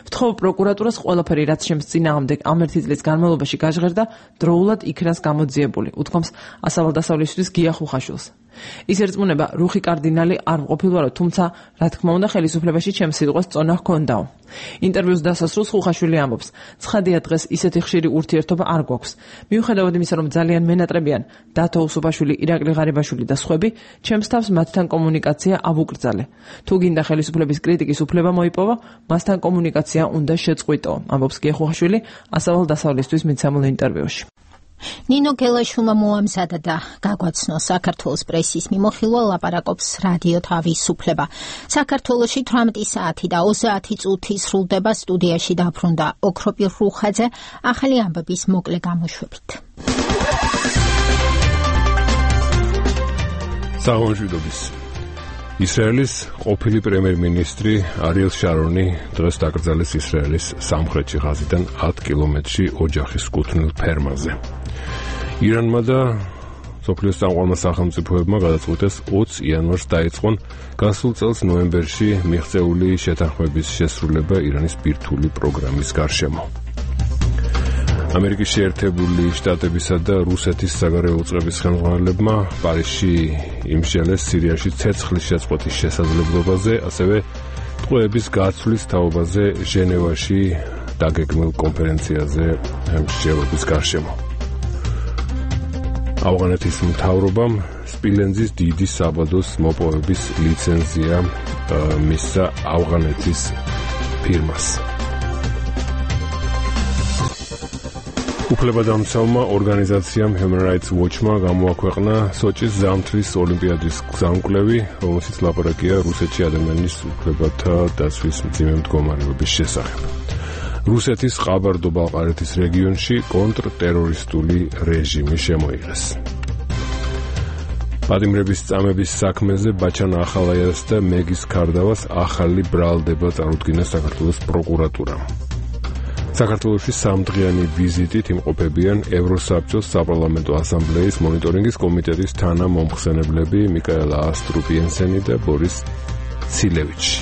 ვთხოვ პროკურატურას ყველაფერი, რაც შემს წინააღმდეგ ამ 1 წლის განმავლობაში გაჟღერდა, დროულად იქნას გამოძიებული, უთქვამს ასავალ-დასავლისთვის გია ხუხაშვილს. ის ერწმუნება, რუხი კარდინალი არ მყოფილვარო, თუმცა, რა თქმა უნდა, ხელისუფლებაში ჩემს სიტყვას წონა ჰქონდაო. ინტერვიუს დასასრულს ხუხაშვილი ამბობს, ცხადია დღეს ისეთი ხშირი ურთიერთობა არ გვაქვს. მიუხედავად იმისა, რომ ძალიან მენატრებიან დათო უსუპაშვილი, ირაკლი ღარიბაშვილი და სხვები, ჩემს თავს მათთან კომუნიკაცია ავუკრძალე. თუ გინდა ხელისუფლების კრიტიკის უფლება მოიპოვა, მასთან კომუნიკაცია უნდა შეწყვიტო, ამბობს გია ხუხაშვილი ასავალ-დასავლისთვის მიცემულ ინტერვიუში. ნინო გელაშვილმა მოამზადა და გაგვაცნო საქართველოს პრესის მიმოხილვა ლაპარაკობს რადიო თავისუფლება. საქართველოში 18 საათი და 30 წუთი სრულდება, სტუდიაში დაბრუნდა ოქროპირ რუხაძე, ახალი ამბების მოკლე გამოშვებით. საღამოშიდობის. ისრაელის ყოფილი პრემიერ-მინისტრი არიელ შარონი დღეს დაკრძალეს ისრაელის სამხრეთში ღაზიდან 10 კილომეტრში ოჯახის კუთვნილ ფერმაზე. ირანმა და სოფლიოს წამყვანმა სახელმწიფოებმა გადაწყვიტეს 20 იანვარს დაიწყონ გასულ წელს ნოემბერში მიღწეული შეთანხმების შესრულება ირანის ბირთვული პროგრამის გარშემო. ამერიკის შეერთებული შტატებისა და რუსეთის საგარეო უწყების ხელმძღვანელებმა პარიზში იმსჯელეს სირიაში ცეცხლის შეწყვეტის შესაძლებლობაზე, ასევე ტყვეების გაცვლის თაობაზე ჟენევაში დაგეგმილ კონფერენციაზე მსჯელობის გარშემო. ავღანეთის მთავრობამ სპილენძის დიდი საბადოს მოპოვების ლიცენზია მისცა ავღანეთის ფირმას. უფლებადამცავმა ორგანიზაციამ Human Rights Watch-მა გამოაქვეყნა სოჭის ზამთრის ოლიმპიადის გზამკვლევი, რომელშიც ლაპარაკია რუსეთში ადამიანის უფლებათა დაცვის მძიმე მდგომარეობის შესახებ. რუსეთის ყაბარდო-ბალყარეთის რეგიონში კონტრტერორისტული რეჟიმი შემოიღეს. პატიმრების წამების საქმეზე ბაჩან ახალაიას და მეგის ქარდავას ახალი ბრალდება წარუდგინა საქართველოს პროკურატურამ. საქართველოში სამდღიანი ვიზიტით იმყოფებიან ევროსაბჭოს საპარლამენტო ასამბლეის მონიტორინგის კომიტეტის თანამომხსენებლები მიკაელა ასტრუპიენსენი და ბორის ცილევიჩი.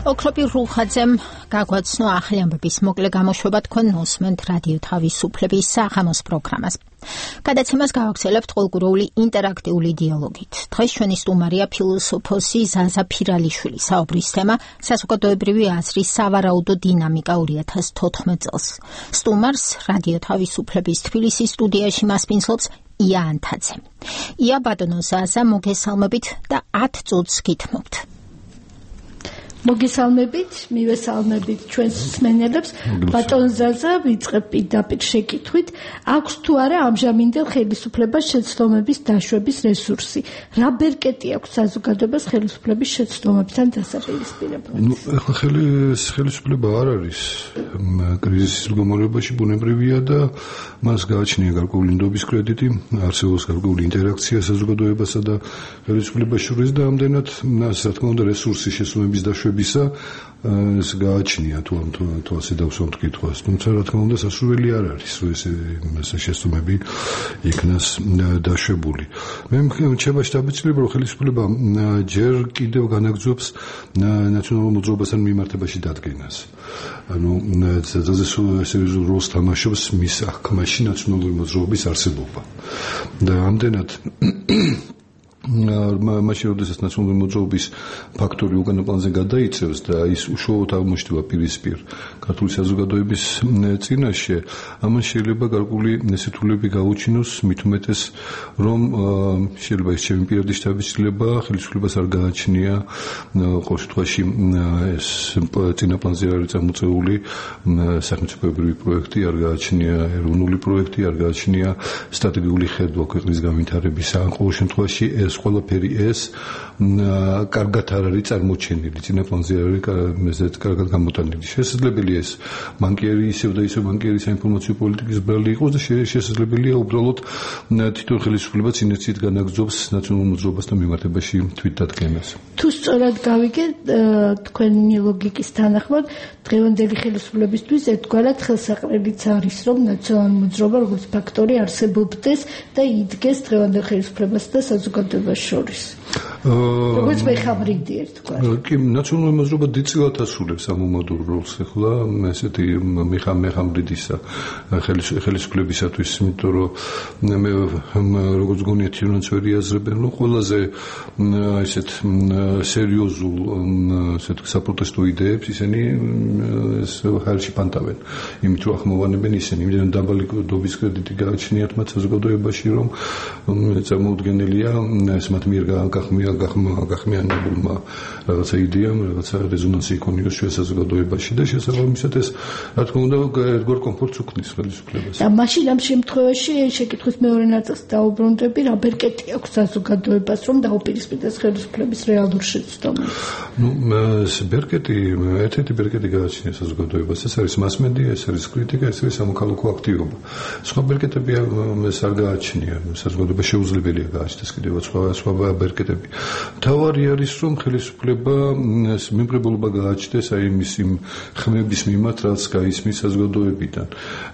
ოქროპირ რუხაძემ გაგვაცნო ახალი ამბების მოკლე გამოშვება, თქვენ მოსმენთ რადიო თავისუფლების საღამოს პროგრამას. გადაცემას გავაგრძელებთ ყოველკვირეული ინტერაქტიული დიალოგით. დღეს ჩვენი სტუმარია ფილოსოფოსი ზაზა ფირალიშვილი. საუბრის თემა საზოგადოებრივი აზრის სავარაუდო დინამიკა 2014 წელს. სტუმარს რადიო თავისუფლების თბილისის სტუდიაში მასპინძლობს ია ანთაძე. ია ბატონო ზაზა, მოგესალმებით და 10 წუთს გითმობთ. მოგესალმებით, მივესალმებით ჩვენს მსმენელებს. ბატონ ზაზა, ვიწყებ პირდაპირ შეკითხვით, აქვს თუ არა ამჟამინდელ ხელისუფლებას შეცდომების დაშვების რესურსი? რა ბერკეტი აქვს საზოგადოებას ხელისუფლების შეცდომებთან დასაპირისპირებლად? ახლა ხელისუფლება არ არის კრიზისის მდგომარეობაში, ბუნებრივია და მას გააჩნია გარკვეული ნდობის კრედიტი, არსებობს გარკვეული ინტერაქცია საზოგადოებასა და ხელისუფლებას შორის და ამდენად მას რა თქმა უნდა რესურსი შეცდომების დაშვებისა ეს გააჩნია თუ ასე დავსვამთ კითხვას, თუმცა რა თქმა უნდა სასურველი არ არის ეს შეცდომები იქნას დაშვებული. მე მრჩება შთაბეჭდილება, რომ ხელისუფლება ჯერ კიდევ განაგრძობს ნაციონალურ მოძრაობასთან მიმართებაში დადგენას. ანუ ძალზე სერიოზულ როლს თამაშობს მის აღქმაში ნაციონალური მოძრაობის არსებობა. და ამდენად მაშინ როდესაც ნაციონალური მოძრაობის ფაქტორი უკანა პლანზე გადაიწევს და ის უშუალოდ აღმოჩნდება პირისპირ ქართული საზოგადოების წინაშე, ამან შეიძლება გარკვეული ნესითულები გაუჩინოს, მით უმეტეს რომ შეიძლება ის ჩემი პირადი შთაბეჭდილება ხელისუფლებას არ გააჩნია ყოველ შემთხვევაში ეს წინა პლანზე არის წამოწეული სახელმწიფოებრივი პროექტი, არ გააჩნია ეროვნული პროექტი, არ გააჩნია სტრატეგიული ხედვა ქვეყნის განვითარებისა. ყოველ შემთხვევაში ეს ყველაფერი ეს კარგად არ არის წარმოჩენილი, წინა პლანზე არ არის კარგად გამოტანილი. შესაძლებელია ეს ბანკიერი ისევ და ისევ ბანკიერი საინფორმაციო პოლიტიკის ბრალი იყოს და შესაძლებელია უბრალოდ თვითონ ხელისუფლება ინერციით განაგრძობს ნაციონალურ მოძრაობასთან მიმართებაში თვითდადგენას. თუ სწორად გავიგე თქვენი ლოგიკის თანახმად, დღევანდელი ხელისუფლებისთვის ერთგვარად ხელსაყრელიც არის, რომ ნაციონალური მოძრაობა როგორც ფაქტორი არსებობდეს და იდგეს დღევანდელ ხელისუფლებასა და საზოგადოებას შორის. როგორც მეხაბრიდი ერთგვარი. კი, ნაციონალური მოძრაობა დიდწილად ასრულებს ამ მომადურ როლს ახლა ესეთი მეხაბრიდისა ხელისუფლებისათვის, იმიტომ რომ მე როგორც გონიათ ჩვენც ვერ იაზრებენ, რომ ყველაზე ესეთ სერიოზულ ესეთ საპროტესტო იდეებს ისინი ხალხში პანტავენ. იმით რომ ახმოვანებენ ისინი, იმდენ დაბალი დობის კრედიტი გააჩნიათ მათ საზოგადოებაში, რომ წარმოუდგენელია ეს მათ მიერ გახმიანებულმა რაღაცა იდეამ, რაღაცა რეზონანსი იქონიოს ჩვენ საზოგადოებაში და შესაბამისად ეს რა თქმა უნდა ერთგვარ კომფორტს უქმნის ხელისუფლებას. და მაშინ ამ შემთხვევაში შეკითხვის მეორე ნაწილს დაუბრუნდები, რა ბერკეტი აქვს საზოგადოებას, რომ დაუპირისპირდეს ხელისუფლების რეალურ შეცდომებს. ბერკეტი, ერთ-ერთი ბერკეტი გააჩნია საზოგადოებას, ეს არის მასმედია, ეს არის კრიტიკა, ეს არის სამოქალაქო აქტივობა. სხვა ბერკეტები ეს არ გააჩნია, საზოგადოება შეუძლებელია გააჩნდეს კიდევ სხვა ბერკეტები. თავარი არის, რომ ხელისუფლება მიმღებულობა გააჩნდეს აი იმის იმ ხმების მიმართ, რაც გაისმის საზოგადოებიდან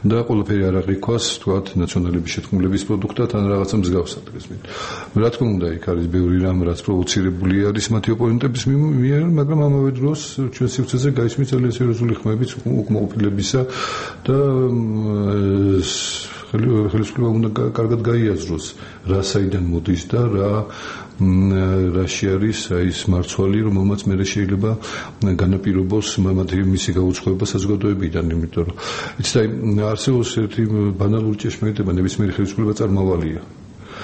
და ყველაფერი არ აღიქვას, თქვათ, ნაციონალების შეთქმულების პროდუქტად ან რაღაცა მსგავსად გესმით. რა თქმა უნდა, იქ არის ბევრი რამ, რაც პროვოცირებული არის მათი ოპონენტების მიერ, მაგრამ ამავე დროს ჩვენ სივრცეზე გაისმის ძალიან სერიოზული ხმების უკმაყოფილებისა და ხელისუფლება უნდა კარგად გაიაზროს, რა საიდან მოდის და რაში არის ის მარცვალი, რომელმაც მე შეიძლება განაპირობოს მისი გაუწყობა საზოგადოებიდან, იმიტომ რომ იცით, არსებობს ერთი ბანალური ჭეშმარიტება, ნებისმიერი ხელისუფლება წარმავალია.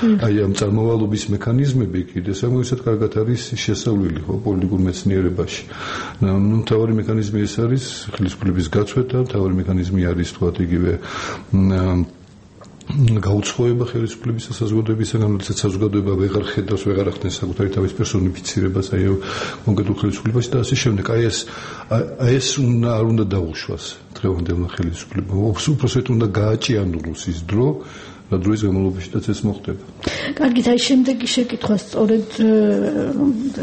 აი ამ წარმავალობის მექანიზმები კიდე საკმაოდ კარგად არის შესწავლილი ხო პოლიტიკურ მეცნიერებაში. მთავარი მექანიზმი ეს არის ხელისუფლების გაცვეთა, მთავარი მექანიზმი არის თქვათ იგივე გაუცხოება ხელისუფლების და საზოგადოებისგან, როდესაც საზოგადოება ვეღარ ხედავს, ვეღარ ახდენს საკუთარი თავის პერსონიფიცირებას აი კონკრეტულ ხელისუფლებაში და ასე შემდეგ. აი ეს არ უნდა დაუშვას დღევანდელმა ხელისუფლებამ. უпросто უნდა გააჭიანუროს ის დრო, რა დროის განმავლობაშიც ეს მოხდება. კარგით, აი შემდეგი შეკითხვა სწორედ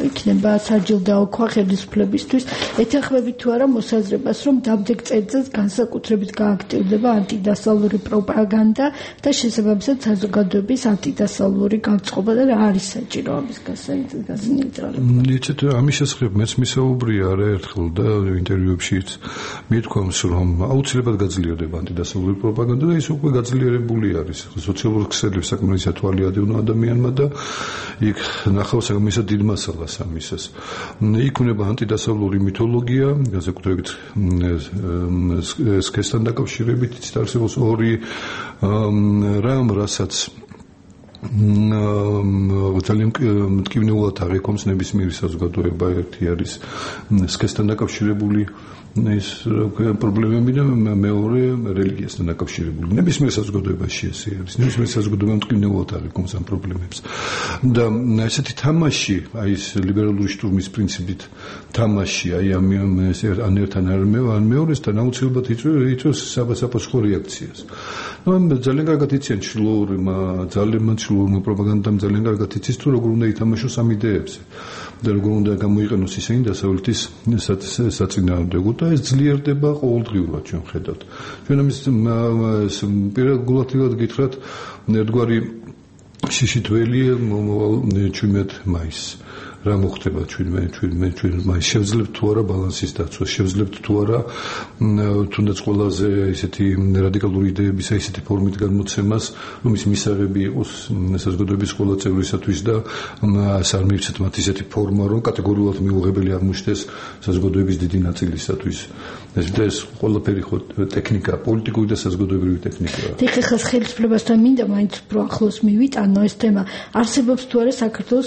იქნება საჯილდაოქვა ხელისუფლებისთვის. ეთანხმებით თუ არა მოსაზრებას, რომ დამდეგ წელიწადს განსაკუთრებით გააქტიურდება ანტიდასავლური პროპაგანდა და შესაბამისად საზოგადოების ანტიდასავლური განწყობა და რა არის საჭირო ამის გასაინტერესებლად? იცით, ამის შესახებ მეც მისაუბრია არაერთხელ და ინტერვიუებშიც მithქვამს, რომ აუცილებლად გაძლიერდება ანტიდასავლური პროპაგანდა და ის უკვე გაძლიერებული არის. სოციალურ ქსელებს საკმაოდ ათვალი ადევნა ადამიანმა და იქ ნახავს საკმაოდ დიდ მასალას ამისას. იქ უნდა ანტიდასავლური მითოლოგია, განსაკუთრებით სქესთან დაკავშირებით არსებობს ორი რამ, რასაც ძალიან მტკივნეულად აღიქვამს ნებისმიერი საზოგადოება. ერთი არის სქესთან დაკავშირებული ის პრობლემები და მეორე რელიგიასთან დაკავშირებული. ნებისმიერ საზოგადოებაში ესე არის. ნებისმიერ საზოგადოებამ მტკივნეულად აღიქვამს ამ პრობლემებს. და ესეთი თამაში, აი ეს ლიბერალური შტურმის პრინციპით თამაში, აი ან ერთთან ან მეორესთან აუცილებლად იწვევს საპასუხო რეაქციას. ძალიან კარგად იციან ჩლოურმა პროპაგანდამ ძალიან კარგად იცის თუ როგორ უნდა ითამაშოს ამ იდეებზე და როგორ უნდა გამოიყენოს ისინი დასავლეთის საწინააღმდეგოდ და ეს ძლიერდება ყოველდღიურად ჩვენ ხედავთ. ჩვენ ამის პირადულად გითხრათ ერთგვარი შიშითველი მომავალ 17 მაისს. რა მოხდება ჩვენ მაისს შევძლებთ თუ არა ბალანსის დაცვა, შევძლებთ თუ არა თუნდაც ყველაზე ისეთი რადიკალური იდეების ისეთი ფორმით განმოცემას, რომ ის მისაღები იყოს საზოგადოების ყველა წევრისათვის და არ მივცეთ მათ ისეთი ფორმა, რომ კატეგორიულად მიუღებელი აღმოჩნდეს საზოგადოების დიდი ნაწილისათვის. ეს ყველაფერი ხო ტექნიკა, პოლიტიკური და საზოგადოებრივი ტექნიკაა. ეხლა ხელისუფლებასთან მინდა მაინც უფრო ახლოს მივიტანო ეს თემა. არსებობს თუ არა საქართველოს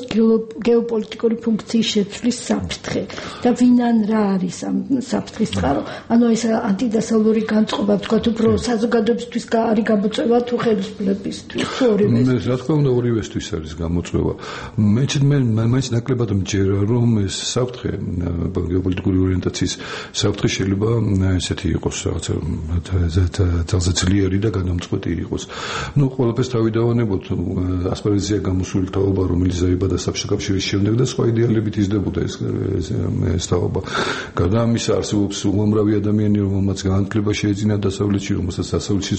გეოპოლიტიკურ პოლიტიკური ფუნქციის შეცვლის საფრთხე და ვინან რა არის ამ საფრთხის წყარო. ანუ ეს ანტიდასავლური განწყობა, ვთქვათ, უფრო საზოგადოებისთვის არის გამოწვევა თუ ხელისუფლებისთვის, თუ ორივესთვის? რა თქმა უნდა, ორივესთვის არის გამოწვევა. მე მაინც ნაკლებად მჯერა, რომ ეს საფრთხე გეოპოლიტიკური ორიენტაციის საფრთხე შეიძლება ესეთი იყოს რაღაცა ძალზე ძლიერი და განამწყვეტი იყოს. ნუ ყველაფერს თავი დავანებოთ, ასპარეზია გამოსული თაობა, რომელიც დაიბადა საბჭოთა კავშირის შემდეგ და სხვა იდეალებით იზრდებოდა ეს თაობა. გარდა ამისა, არსებობს უამრავი ადამიანი, რომელმაც განათლება შეეძინა დასავლეთში, რომელსაც დასავლეთში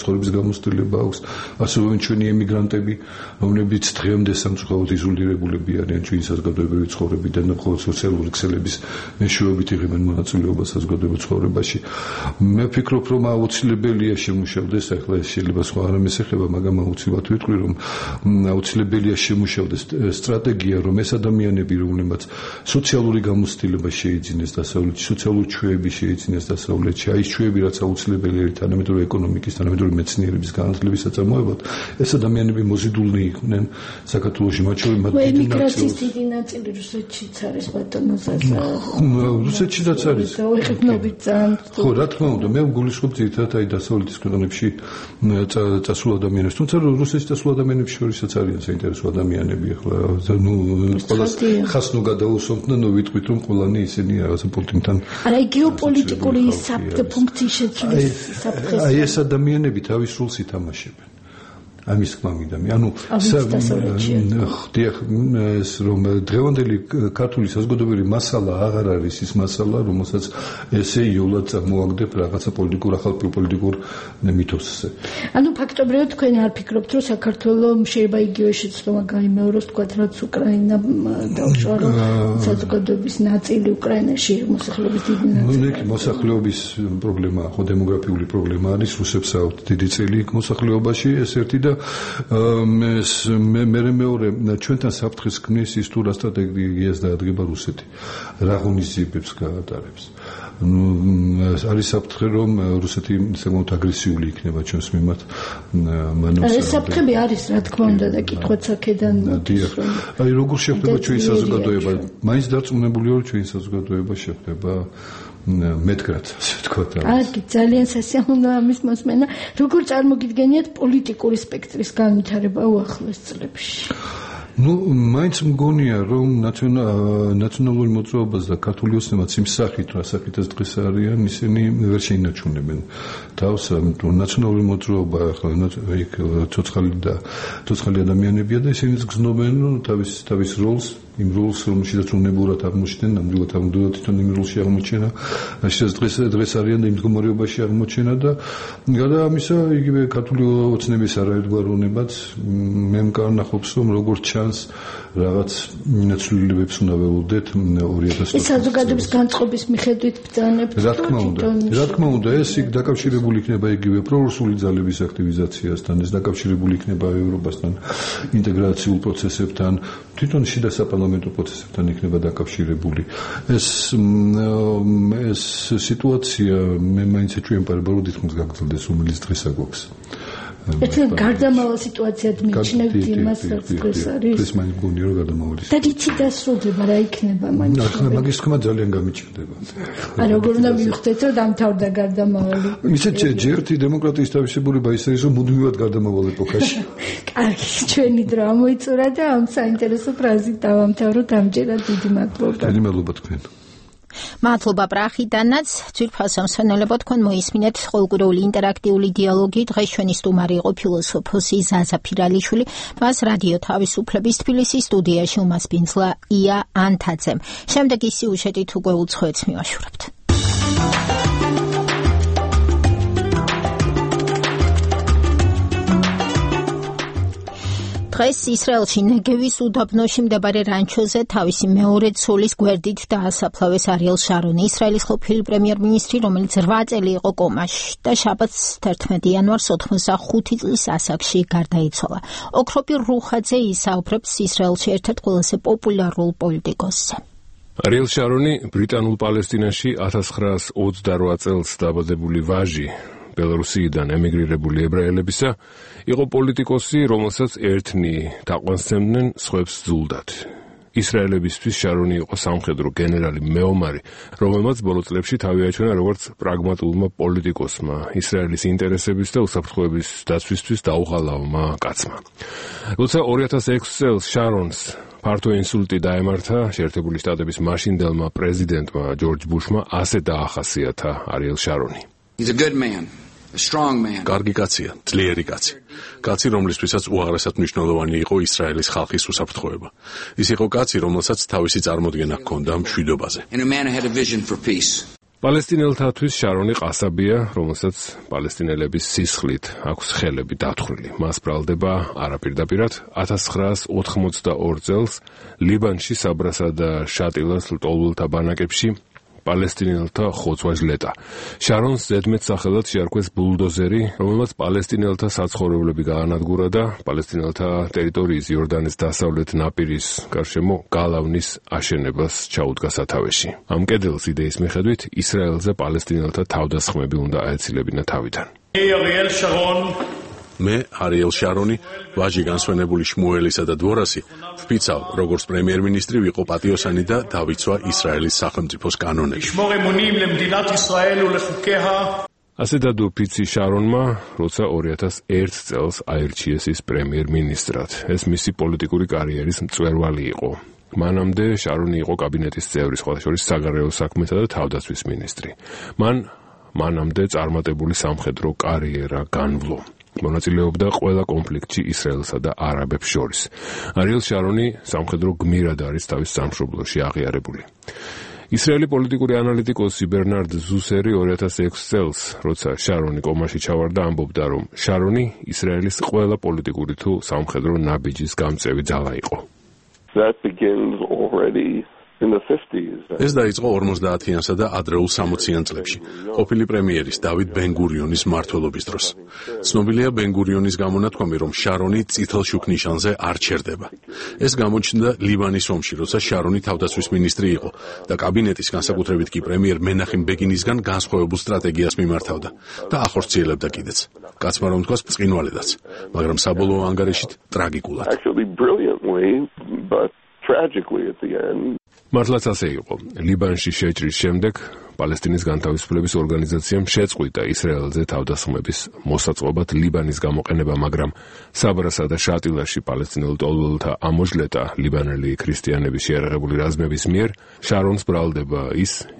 ცხოვრების გამოცდილება აქვს. არსებობენ ჩვენი ემიგრანტები, რომლებიც დღემდე სამწუხაროდ იზოლირებულები არიან ჩვენი საზოგადოებრივი ცხოვრებიდან და მხოლოდ სოციალური ქსელების მეშვეობით იღებენ მონაწილეობას საზოგადოებრივ ცხოვრებაში. მე ვფიქრობ, რომ აუცილებელია შემუშავდეს, ახლა ეს შეიძლება სხვა რამეს ეხება, მაგრამ აუცილებლად ვიტყვი, რომ აუცილებელია შემუშავდეს სტრატეგია, რომ ეს ადამიანები, რომლებმაც სოციალური გამოცდილება შეიძინეს დასავლეთში, სოციალური ჩვევები შეიძინეს დასავლეთში, აი ეს ჩვევები, რაც აუცილებელია თანამედროვე ეკონომიკის, თანამედროვე მეცნიერების განათლების საწარმოებლად, ეს ადამიანები მოზიდულნი იყვნენ საქართველოში, მათ შორის მათ დიდი ემიგრაციის დიდი ნაწილი რუსეთშიც არის, ბატონო ზაზა. რუსეთშიც არის. ხო, რა თქმა უნდა, მე გულისხმობ ძირითადად აი დასავლეთის ქვეყნებში წასულ ადამიანებს, თუმცა რუსეთში წასულ ადამიანებს შორისაც არიან საინტერესო ადამიანები, ახლა ნუ ყველას ხას ნუ გადაუსვამთ და ნუ ვიტყვით, რომ ყველანი ისინი რაღაცა პუტინთან. არა, გეოპოლიტიკური ფუნქციის შეცვლის საფრთხე. აი ეს ადამიანები თავის სრულს ითამაშებენ. ამის თქმა მინდა. ანუ ხდიახ ეს რომ დღევანდელი ქართული საზოგადოებრივი მასალა აღარ არის ის მასალა, რომელსაც ესე იოლად წარმოაგდებ რაღაცა ახალ პოლიტიკურ მითოსზე. ანუ ფაქტობრივად თქვენ არ ფიქრობთ, რომ საქართველოს შეიძლება იგივე შეცდომა გაიმეოროს, თქვათ, რაც უკრაინა დაუშვა, რომ საზოგადოების ნაწილი უკრაინაში მოსახლეობის დიდი ნაწილი. მოსახლეობის პრობლემა, ხო დემოგრაფიული პრობლემა არის, რუსებს აქვთ დიდი წილი მოსახლეობაში, ეს ერთი და მე მეორე ჩვენთან საფრთხეს ქმნის ის თუ რა სტრატეგიას დაადგება რუსეთი, რა ღონისძიებებს გაატარებს. არის საფრთხე, რომ რუსეთი საკმაოდ აგრესიული იქნება ჩვენს მიმართ. ეს საფრთხები არის, რა თქმა უნდა, და კითხვაც აქედან მოდის. აი როგორ შეხვდება ჩვენი საზოგადოება? მაინც დარწმუნებული ვარ, ჩვენი საზოგადოება შეხვდება მეტგრად, ასე ვთქვათ. აი, ძალიან სასიამოვნო ამის მოსმენა. როგორ წარმოგიდგენიათ პოლიტიკური სპექტრის განვითარება უახლოეს წლებში? მაინც მგონია, რომ ნაციონალური მოძრაობას და ქართული ოცნებაც იმ სახით, რა სახითაც დღეს არიან, ისინი ვერ შეინარჩუნებენ თავს. ნაციონალური მოძრაობა ახლა იქ ცოცხალი ადამიანებია და ისინიც გრძნობენ თავის როლს, იმ როლს, რომელშიც უნებურად აღმოჩნდნენ, ნამდვილად თვითონ იმ როლში აღმოჩენა, შესაძლოა დღეს არიან და იმ მდგომარეობაში აღმოჩენა და გარდა ამისა, იგივე ქართული ოცნების არაერთგვაროვნებაც მე მკარნახობს, რომ როგორც ჩანს, რაღაც ცვლილებებს უნდა ველოდეთ 2000 ეს საზოგადოების განწყობის მიხედვით ბრძანებთ. რა თქმა უნდა, ეს იქ დაკავშირებული იქნება იგივე პრორუსული ძალების აქტივიზაციასთან, ეს დაკავშირებული იქნება ევროპასთან, ინტეგრაციულ პროცესებთან, თვითონ შიდა საპარლამენტო პროცესებთან იქნება დაკავშირებული. ეს სიტუაცია მე მაინც ეჭვმეპარება, რომ თითქმის გაგრძელდეს, რომელიც დღეს აგვაქვს. ეს გარდამავალ სიტუაციად მიიჩნევთ იმას, რაც დღეს არის. ეს მაინც გონია, რომ გარდამავალი. და რითი დასრულდება, რა იქნება მაინც? მაგის თქმა ძალიან გამიჭირდება. როგორ უნდა მივხვდეთ, რომ დამთავრდა გარდამავალი? ისეთ ჯერთი დემოკრატიის თავისებურება ის არის, რომ მუდმივად გარდამავალ ეპოქაში. კარგი, ჩვენი დრო ამოიწურა და ამ საინტერესო ფრაზით დავამთავროთ ამჯერად. დიდი მადლობა. დიდი მადლობა თქვენ. მადლობა პრახიდანაც, ძვირფასო მსმენელებო, თქვენ მოისმინეთ ყოველკვირეული ინტერაქტიული დიალოგი. დღეს ჩვენი სტუმარი იყო ფილოსოფოსი ზაზა ფირალიშვილი, მას რადიო თავისუფლების თბილისის სტუდიაში უმასპინძლა ია ანთაძემ. შემდეგი სიუჟეტით უკვე უცხოეთს მივაშურებთ. დღეს ისრაელში ნეგევის უდაბნოში მდებარე რანჩოზე თავისი მეორე ცოლის გვერდით დაასაფლავეს არიელ შარონი, ისრაელის ყოფილი პრემიერ-მინისტრი, რომელიც 8 წელი იყო კომაში და შაბათს 11 იანვარს 85 წლის ასაკში გარდაიცვალა. ოქროპირ რუხაძე ისაუბრებს ისრაელში ერთ-ერთ ყველაზე პოპულარულ პოლიტიკოსზე. არიელ შარონი ბრიტანულ პალესტინაში 1928 წელს დაბადებული ვაჟი, ბელორუსიიდან ემიგრირებული ებრაელებისა, იყო პოლიტიკოსი, რომელსაც ერთნი თაყვანსცემდნენ, სხვებს ძულდათ. ისრაელებისთვის შარონი იყო სამხედრო გენერალი მეომარი, რომელმაც ბოლო წლებში თავი აჩვენა როგორც პრაგმატულმა პოლიტიკოსმა, ისრაელის ინტერესების და უსაფრთხოების დაცვისთვის დაუღალავმა კაცმა. როცა 2006 წელს შარონს ფართო ინსულტი დაემართა შეერთებული შტატების მაშინდელმა პრეზიდენტმა ჯორჯ ბუშმა ასე დაახასიათა არიელ შარონი. კარგი კაცია, ძლიერი კაცი. კაცი, რომლისთვისაც უაღრესად მნიშვნელოვანი იყო ისრაელის ხალხის უსაფრთხოება. ის იყო კაცი, რომელსაც თავისი წარმოდგენა ჰქონდა მშვიდობაზე. პალესტინელთათვის შარონი ყასაბია, რომელსაც პალესტინელების სისხლით აქვს ხელები დათხრილი. მას ბრალდება არაპირდაპირად 1982 წელს ლიბანში საბრასა და შატილას ლტოლვილთა ბანაკებში პალესტინელთა ხოცვა ჟლეტა. შარონს ზედმეტ სახელად შეარქვეს ბულდოზერი, რომელმაც პალესტინელთა საცხოვრებლები გაანადგურა და პალესტინელთა ტერიტორიის იორდანის დასავლეთ ნაპირის გარშემო გალავნის აშენებას ჩაუდგა სათავეში. ამ კედელს იდეის მიხედვით ისრაელზე პალესტინელთა თავდასხმები უნდა აეცილებინა თავიდან. მე არიელ შარონი, ვაჟი განსვენებული შმუელისა და დვორასი, ვფიცავ, როგორც პრემიერ-მინისტრი ვიყო პატიოსანი და დავიცვა ისრაელის სახელმწიფოს კანონები. ასე დადო ფიცი შარონმა, როცა 2001 წელს აირჩიეს ის პრემიერ-მინისტრად. ეს მისი პოლიტიკური კარიერის მწვერვალი იყო. მანამდე შარონი იყო კაბინეტის წევრი, სხვა შორის საგარეო საქმეთა და თავდაცვის მინისტრი. მანამდე წარმატებული სამხედრო კარიერა განვლო. მონაწილეობდა ყველა კონფლიქტში ისრაელსა და არაბებს შორის. არიელ შარონი სამხედრო გმირად არის თავის სამშობლოში აღიარებული. ისრაელი პოლიტიკური ანალიტიკოსი ბერნარდ ზუსერი 2006 წელს, როცა შარონი კომაში ჩავარდა, ამბობდა, რომ შარონი ისრაელის ყველა პოლიტიკური თუ სამხედრო ნაბიჯის გამწევი ძალა იყო. ეს დაიწყო 50-იანსა და ადრეულ 60-იან წლებში, ყოფილი პრემიერის დავით ბენ-გურიონის მმართველობის დროს. ცნობილია ბენ-გურიონის გამონათქვამი, რომ შარონი წითელ შუქნიშანზე არ ჩერდება. ეს გამოჩნდა ლიბანის ომში, როცა შარონი თავდაცვის მინისტრი იყო და კაბინეტის, განსაკუთრებით კი პრემიერ მენახემ ბეგინისგან განსხვავებულ სტრატეგიას მიმართავდა და ახორციელებდა კიდეც. კაცმა რომ თქვას ბრწყინვალედაც, მაგრამ საბოლოო ანგარიშით ტრაგიკულად. მართლაც ასე იყო. ლიბანში შეჭრის შემდეგ პალესტინის განთავისუფლების ორგანიზაციამ შეწყვიტა ისრაელზე თავდასხმების მოსაწყობად ლიბანის გამოყენება, მაგრამ საბრასა და შატილაში პალესტინელ ლტოლვილთა ამოჟლეტა ლიბანელი ქრისტიანების შეერაღებული რაზმების მიერ შარონს ბრალდება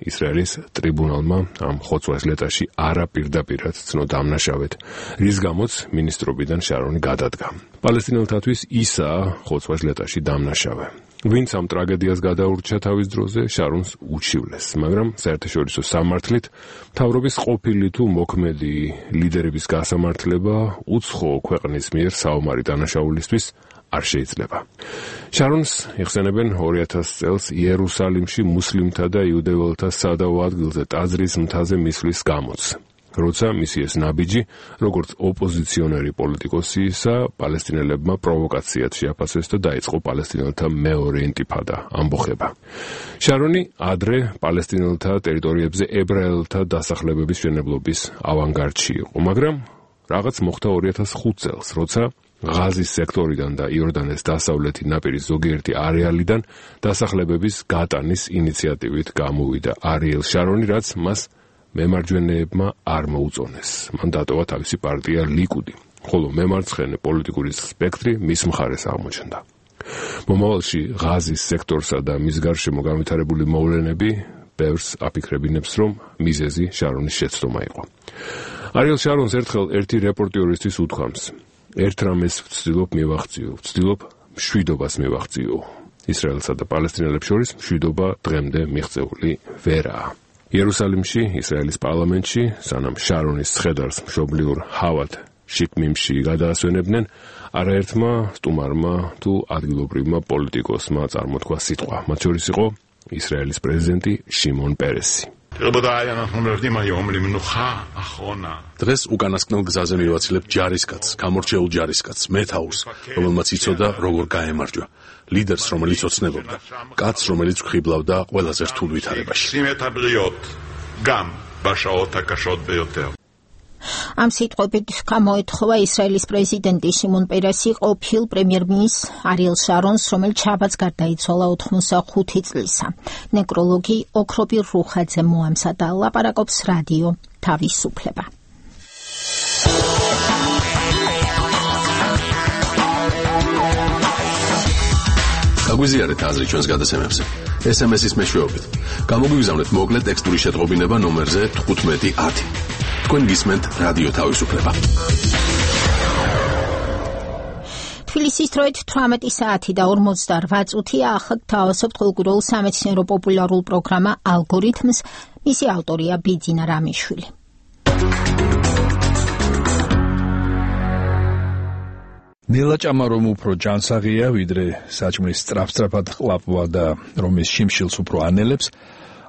ისრაელის ტრიბუნალმა ამ ხოცვა ჟლეტაში არაპირდაპირად ცნო დამნაშავედ, რის გამოც მინისტრობიდან შარონი გადადგა. პალესტინელთათვის ისაა ხოცვა ჟლეტაში დამნაშავე. ვინც ამ ტრაგედიას გადაურჩა თავის დროზე, შარონს უჩივლეს, მაგრამ საერთაშორისო სამართლით მთავრობის ყოფილი თუ მოქმედი ლიდერების გასამართლება უცხო ქვეყნის მიერ საომარი დანაშაულისთვის არ შეიძლება. შარონს იხსენებენ 2000 წელს იერუსალიმში მუსლიმთა და იუდეველთა სადავო ადგილზე ტაძრის მთაზე მისვლის გამოც. როცა მისი ეს ნაბიჯი, როგორც ოპოზიციონერი პოლიტიკოსისა, პალესტინელებმა პროვოკაციად შეაფასეს და დაიწყო პალესტინელთა მეორე ინტიფადა, ამბოხება. შარონი ადრე პალესტინელთა ტერიტორიებზე ებრაელთა დასახლებების მშენებლობის ავანგარდში იყო, მაგრამ რაღაც მოხდა 2005 წელს, როცა ღაზის სექტორიდან და იორდანეს დასავლეთი ნაპირის ზოგიერთი არეალიდან დასახლებების გატანის ინიციატივით გამოვიდა არიელ შარონი, რაც მას მემარჯვენეებმა არ მოუწონეს. მან დატოვა თავისი პარტია ლიკუდი, ხოლო მემარცხენე პოლიტიკური სპექტრი მის მხარეს აღმოჩნდა. მომავალში ღაზის სექტორსა და მის გარშემო განვითარებული მოვლენები ბევრს აფიქრებინებს, რომ მიზეზი შარონის შეცდომა იყო. არიელ შარონს ერთხელ ერთი რეპორტიორისთვის უთქვამს: ერთ რამეს ვცდილობ მივახციო, ვცდილობ მშვიდობას მივახციო. ისრაელსა და პალესტინელებს შორის მშვიდობა დღემდე მიღწეული ვერაა. იერუსალიმში, ისრაელის პარლამენტში, სანამ შარონის ცხედარს მშობლიურ ჰავად შიკმიმში გადაასვენებდნენ, არაერთმა სტუმარმა თუ ადგილობრივმა პოლიტიკოსმა წარმოთქვა სიტყვა. მათ შორის იყო ისრაელის პრეზიდენტი შიმონ პერესი. დღეს უკანასკნელ გზაზე მივაცილებ ჯარისკაცს, გამორჩეულ ჯარისკაცს, მეთაურს, რომელმაც იცოდა როგორ გაემარჯვა, ლიდერს, რომელიც ოცნებობდა, კაცს, რომელიც გვხიბლავდა ყველაზე რთულ ვითარებაში. ამ სიტყვებით გამოეთხოვა ისრაელის პრეზიდენტი შიმონ პერესი ყოფილ პრემიერ-მინისტრ არიელ შარონს, რომელიც შაბათს გარდაიცვალა 85 წლისა. ნეკროლოგი ოქროპირ რუხაძე მოამზადა. ლაპარაკობს რადიო თავისუფლება. გაგვიზიარეთ აზრი ჩვენს გადაცემებზე. SMS-ის მეშვეობით. გამოგვიგზავნეთ მოკლე ტექსტური შეტყობინება ნომერზე 1510. თქვენ გისმენთ რადიო თავისუფლება. თბილისის დროით 18 საათი და 48 წუთია. ახლა გთავაზობთ ყოველკვირეულ სამეცნიერო პოპულარულ პროგრამა ალგორითმს. მისი ავტორია ბიძინა რამიშვილი. ნელა ჭამა რომ უფრო ჯანსაღია, ვიდრე საჭმლის სწრაფ-სწრაფად ყლაპვა და რომ ის შიმშილს უფრო ანელებს,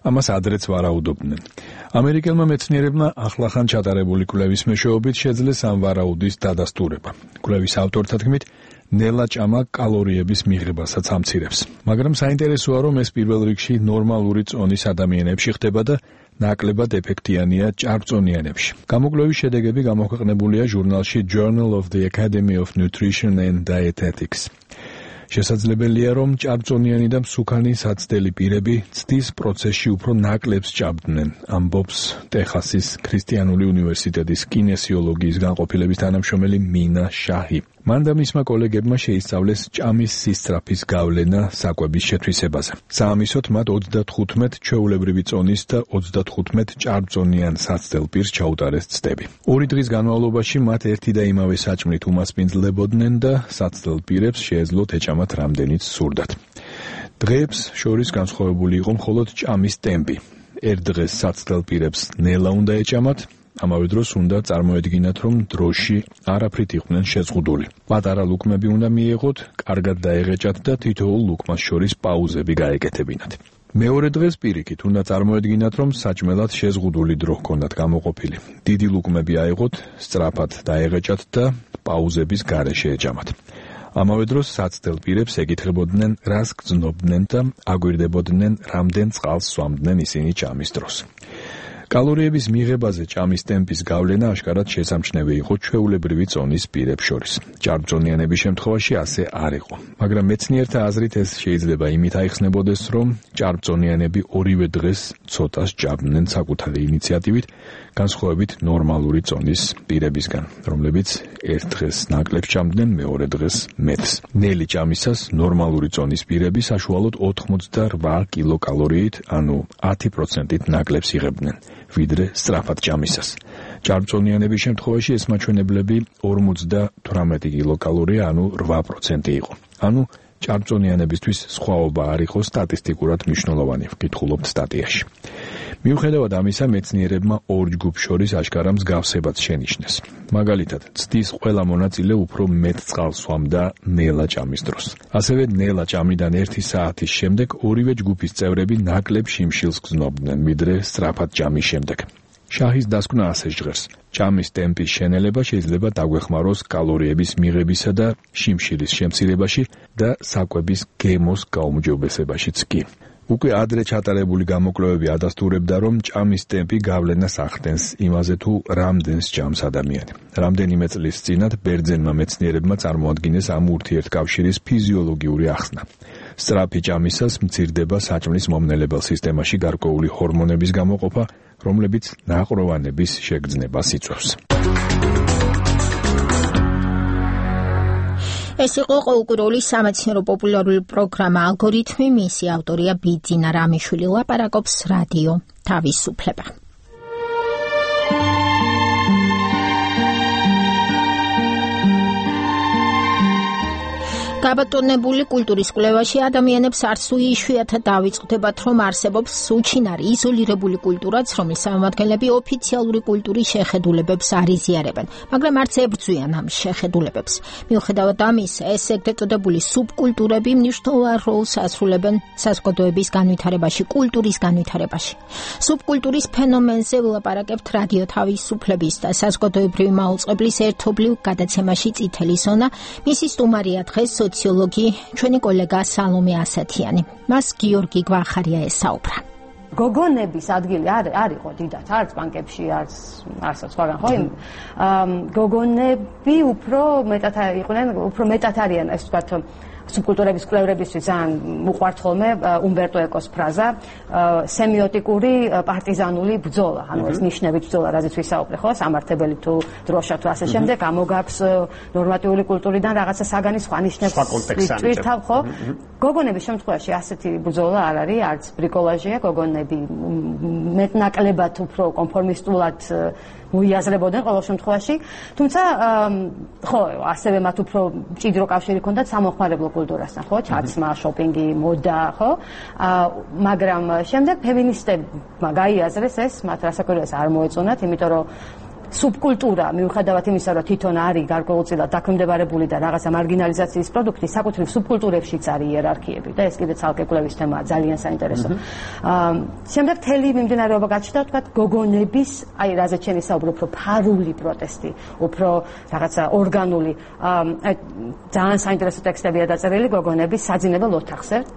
ამას ადრეც ვარაუდობდნენ. ამერიკელმა მეცნიერებმა ახლახან ჩატარებული კვლევის მეშვეობით შეძლეს ამ ვარაუდის დადასტურება. კვლევის ავტორთა თქმით, ნელა ჭამა კალორიების მიღებასაც ამცირებს. მაგრამ საინტერესოა, რომ ეს პირველ რიგში ნორმალური წონის ადამიანებში ხდება და ნაკლებად ეფექტიანია ჭარბწონიანებში. გამოკვლევის შედეგები გამოქვეყნებულია ჟურნალში Journal of the Academy of Nutrition and Dietetics. შესაძლებელია, რომ ჭარბწონიანი და მსუქანი საცდელი პირები ცდის პროცესში უფრო ნაკლებს ჭამდნენ, ამბობს ტეხასის ქრისტიანული უნივერსიტეტის კინესიოლოგიის განყოფილების თანამშრომელი მინა შაჰი. მან და მისმა კოლეგებმა შეისწავლეს ჭამის სისწრაფის გავლენა საკვების შეთვისებაზე. საამისოდ მათ 35 ჩვეულებრივი წონის და 35 ჭარბწონიან საცდელ პირს ჩაუტარეს ცდები. 2 დღის განმავლობაში მათ ერთი და იმავე საჭმლით უმასპინძლებოდნენ და საცდელ პირებს შეეძლოთ ეჭამათ რამდენიც სურდათ. დღეებს შორის განსხვავებული იყო მხოლოდ ჭამის ტემპი. ერთ დღეს საცდელ პირებს ნელა უნდა ეჭამათ, ამავე დროს უნდა წარმოედგინათ, რომ დროში არაფრით იყვნენ შეზღუდული. პატარა ლუკმები უნდა მიეღოთ, კარგად დაეღეჭათ და თითოეულ ლუკმას შორის პაუზები გაეკეთებინათ. მეორე დღეს პირიქით უნდა წარმოედგინათ, რომ საჭმელად შეზღუდული დრო ჰქონდათ გამოყოფილი. დიდი ლუკმები აეღოთ, სწრაფად დაეღეჭათ და პაუზების გარეშე ეჭამათ. ამავე დროს საცდელ პირებს ეკითხებოდნენ, რას გრძნობდნენ და აგვირდებოდნენ, რამდენ წყალს სვამდნენ ისინი ჭამის დროს. კალორიების მიღებაზე ჭამის ტემპის გავლენა აშკარად შესამჩნევი იყო ჩვეულებრივი წონის პირებს შორის. ჭარბწონიანების შემთხვევაში ასე არ იყო. მაგრამ მეცნიერთა აზრით ეს შეიძლება იმით აიხსნებოდეს, რომ ჭარბწონიანები ორივე დღეს ცოტას ჭამდნენ საკუთარი ინიციატივით, განსხვავებით ნორმალური წონის პირებისგან, რომლებიც ერთ დღეს ნაკლებს ჭამდნენ, მეორე დღეს მეტს. ნელი ჭამისას ნორმალური წონის პირები საშუალოდ 88 კილოკალორიით, ანუ 10%-ით ნაკლებს იღებდნენ, ვიდრე სწრაფად ჭამისას. ჭარბწონიანების შემთხვევაში ეს მაჩვენებლები 58 კილოკალორია, ანუ 8% იყო. ანუ ჭარბწონიანებისთვის სხვაობა არ იყო სტატისტიკურად მნიშვნელოვანი, ვკითხულობთ სტატიაში. მიუხედავად ამისა, მეცნიერებმა ორ ჯგუფს შორის აშკარა მსგავსებაც შენიშნეს. მაგალითად, ცდის ყველა მონაწილე უფრო მეტ წყალს სვამდა ნელა ჭამის დროს. ასევე ნელა ჭამიდან 1 საათის შემდეგ ორივე ჯგუფის წევრები ნაკლებ შიმშილს გრძნობდნენ, ვიდრე სწრაფად ჭამის შემდეგ. შაჰის დასკვნა ასე ჟღერს. ჭამის ტემპის შენელება შეიძლება დაგვეხმაროს კალორიების მიღებისა და შიმშილის შემცირებაში და საკვების გემოს გაუმჯობესებაშიც კი. უკვე ადრე ჩატარებული გამოკვლევები ადასტურებდა, რომ ჭამის ტემპი გავლენას ახდენს იმაზე, თუ რამდენს ჭამს ადამიანი. რამდენიმე წლის წინათ ბერძენმა მეცნიერებმა წარმოადგინეს ამ ურთიერთკავშირის ფიზიოლოგიური ახსნა. სწრაფი ჭამისას მცირდება საჭმლის მომნელებელ სისტემაში გარკვეული ჰორმონების გამოყოფა, რომლებიც ნაყროვანების შეგრძნებას იწვევს. ეს იყო ყოველკვირეული სამეცნიერო პოპულარული პროგრამა ალგორითმი, მისი ავტორია ბიძინა რამიშვილი. ლაპარაკობს რადიო თავისუფლება. გაბატონებული კულტურის კვლევაში ადამიანებს არც თუ იშვიათად დავიწყდებათ, რომ არსებობს უჩინარი იზოლირებული კულტურაც, რომლის წარმომადგენლები ოფიციალური კულტურის შეხედულებებს არ იზიარებენ, მაგრამ არც ებრძვიან ამ შეხედულებებს. მიუხედავად ამისა, ეს ეგრეთ წოდებული სუბკულტურები მნიშვნელოვან როლს ასრულებენ საზოგადოების განვითარებაში, კულტურის განვითარებაში. სუბკულტურის ფენომენზე ვლაპარაკებთ რადიო თავისუფლების და საზოგადოებრივი მაუწყებლის ერთობლივ გადაცემაში წითელი ზონა. მისი სტუმარია დღეს სოციოლოგი, ჩვენი კოლეგა სალომე ასათიანი. მას გიორგი გვახარია ესაუბრა. გოგონების ადგილი არ იყო დიდად, არც ბანკებში, არც სხვაგან, ხო? გოგონები უფრო მეტად არიან, ასე ვთქვათ, სუბკულტურების კვლევრებისთვის ძალიან უყვართ ხოლმე უმბერტო ეკოს ფრაზა სემიოტიკური პარტიზანული ბრძოლა, ანუ ეს ნიშნებით ბრძოლა, რაზეც ვისაუბრე, ხო, სამართებელი თუ დროშა თუ ასე შემდეგ, ამოგაქვს ნორმატიული კულტურიდან რაღაცა საგანი სხვა ნიშნებს ვიტვირთავ, ხო? გოგონების შემთხვევაში ასეთი ბრძოლა არ არის, არც ბრიკოლაჟია, გოგონები მეტნაკლებად უფრო კონფორმისტულად მოიაზრებოდნენ ყოველ შემთხვევაში, თუმცა ხო, ასევე მათ უფრო მჭიდრო კავშირი ჰქონდათ სამოხმარებლო კულტურასთან, ხო, ჩაცმა, შოპინგი, მოდა, ხო? მაგრამ შემდეგ ფემინისტებმა გაიაზრეს ეს, მათ რასაკვირველია არ მოეწონათ, იმიტომ რომ სუბკულტურა მიუხედავად იმისა, რომ თვითონ არის გარკვეულწილად დაქვემდებარებული და რაღაცა მარგინალიზაციის პროდუქტი, საკუთრივ სუბკულტურებშიც არის იერარქიები და ეს კიდე ცალკე კვლევის თემაა, ძალიან საინტერესო. შემდეგ მთელი მიმდინარეობა გაჩნდა, თქვათ, გოგონების, აი რაზეც შენ ისაუბრე, უფრო ფარული პროტესტი, უფრო რაღაცა ორგანული, ძალიან საინტერესო ტექსტებია დაწერილი გოგონების საძინებელ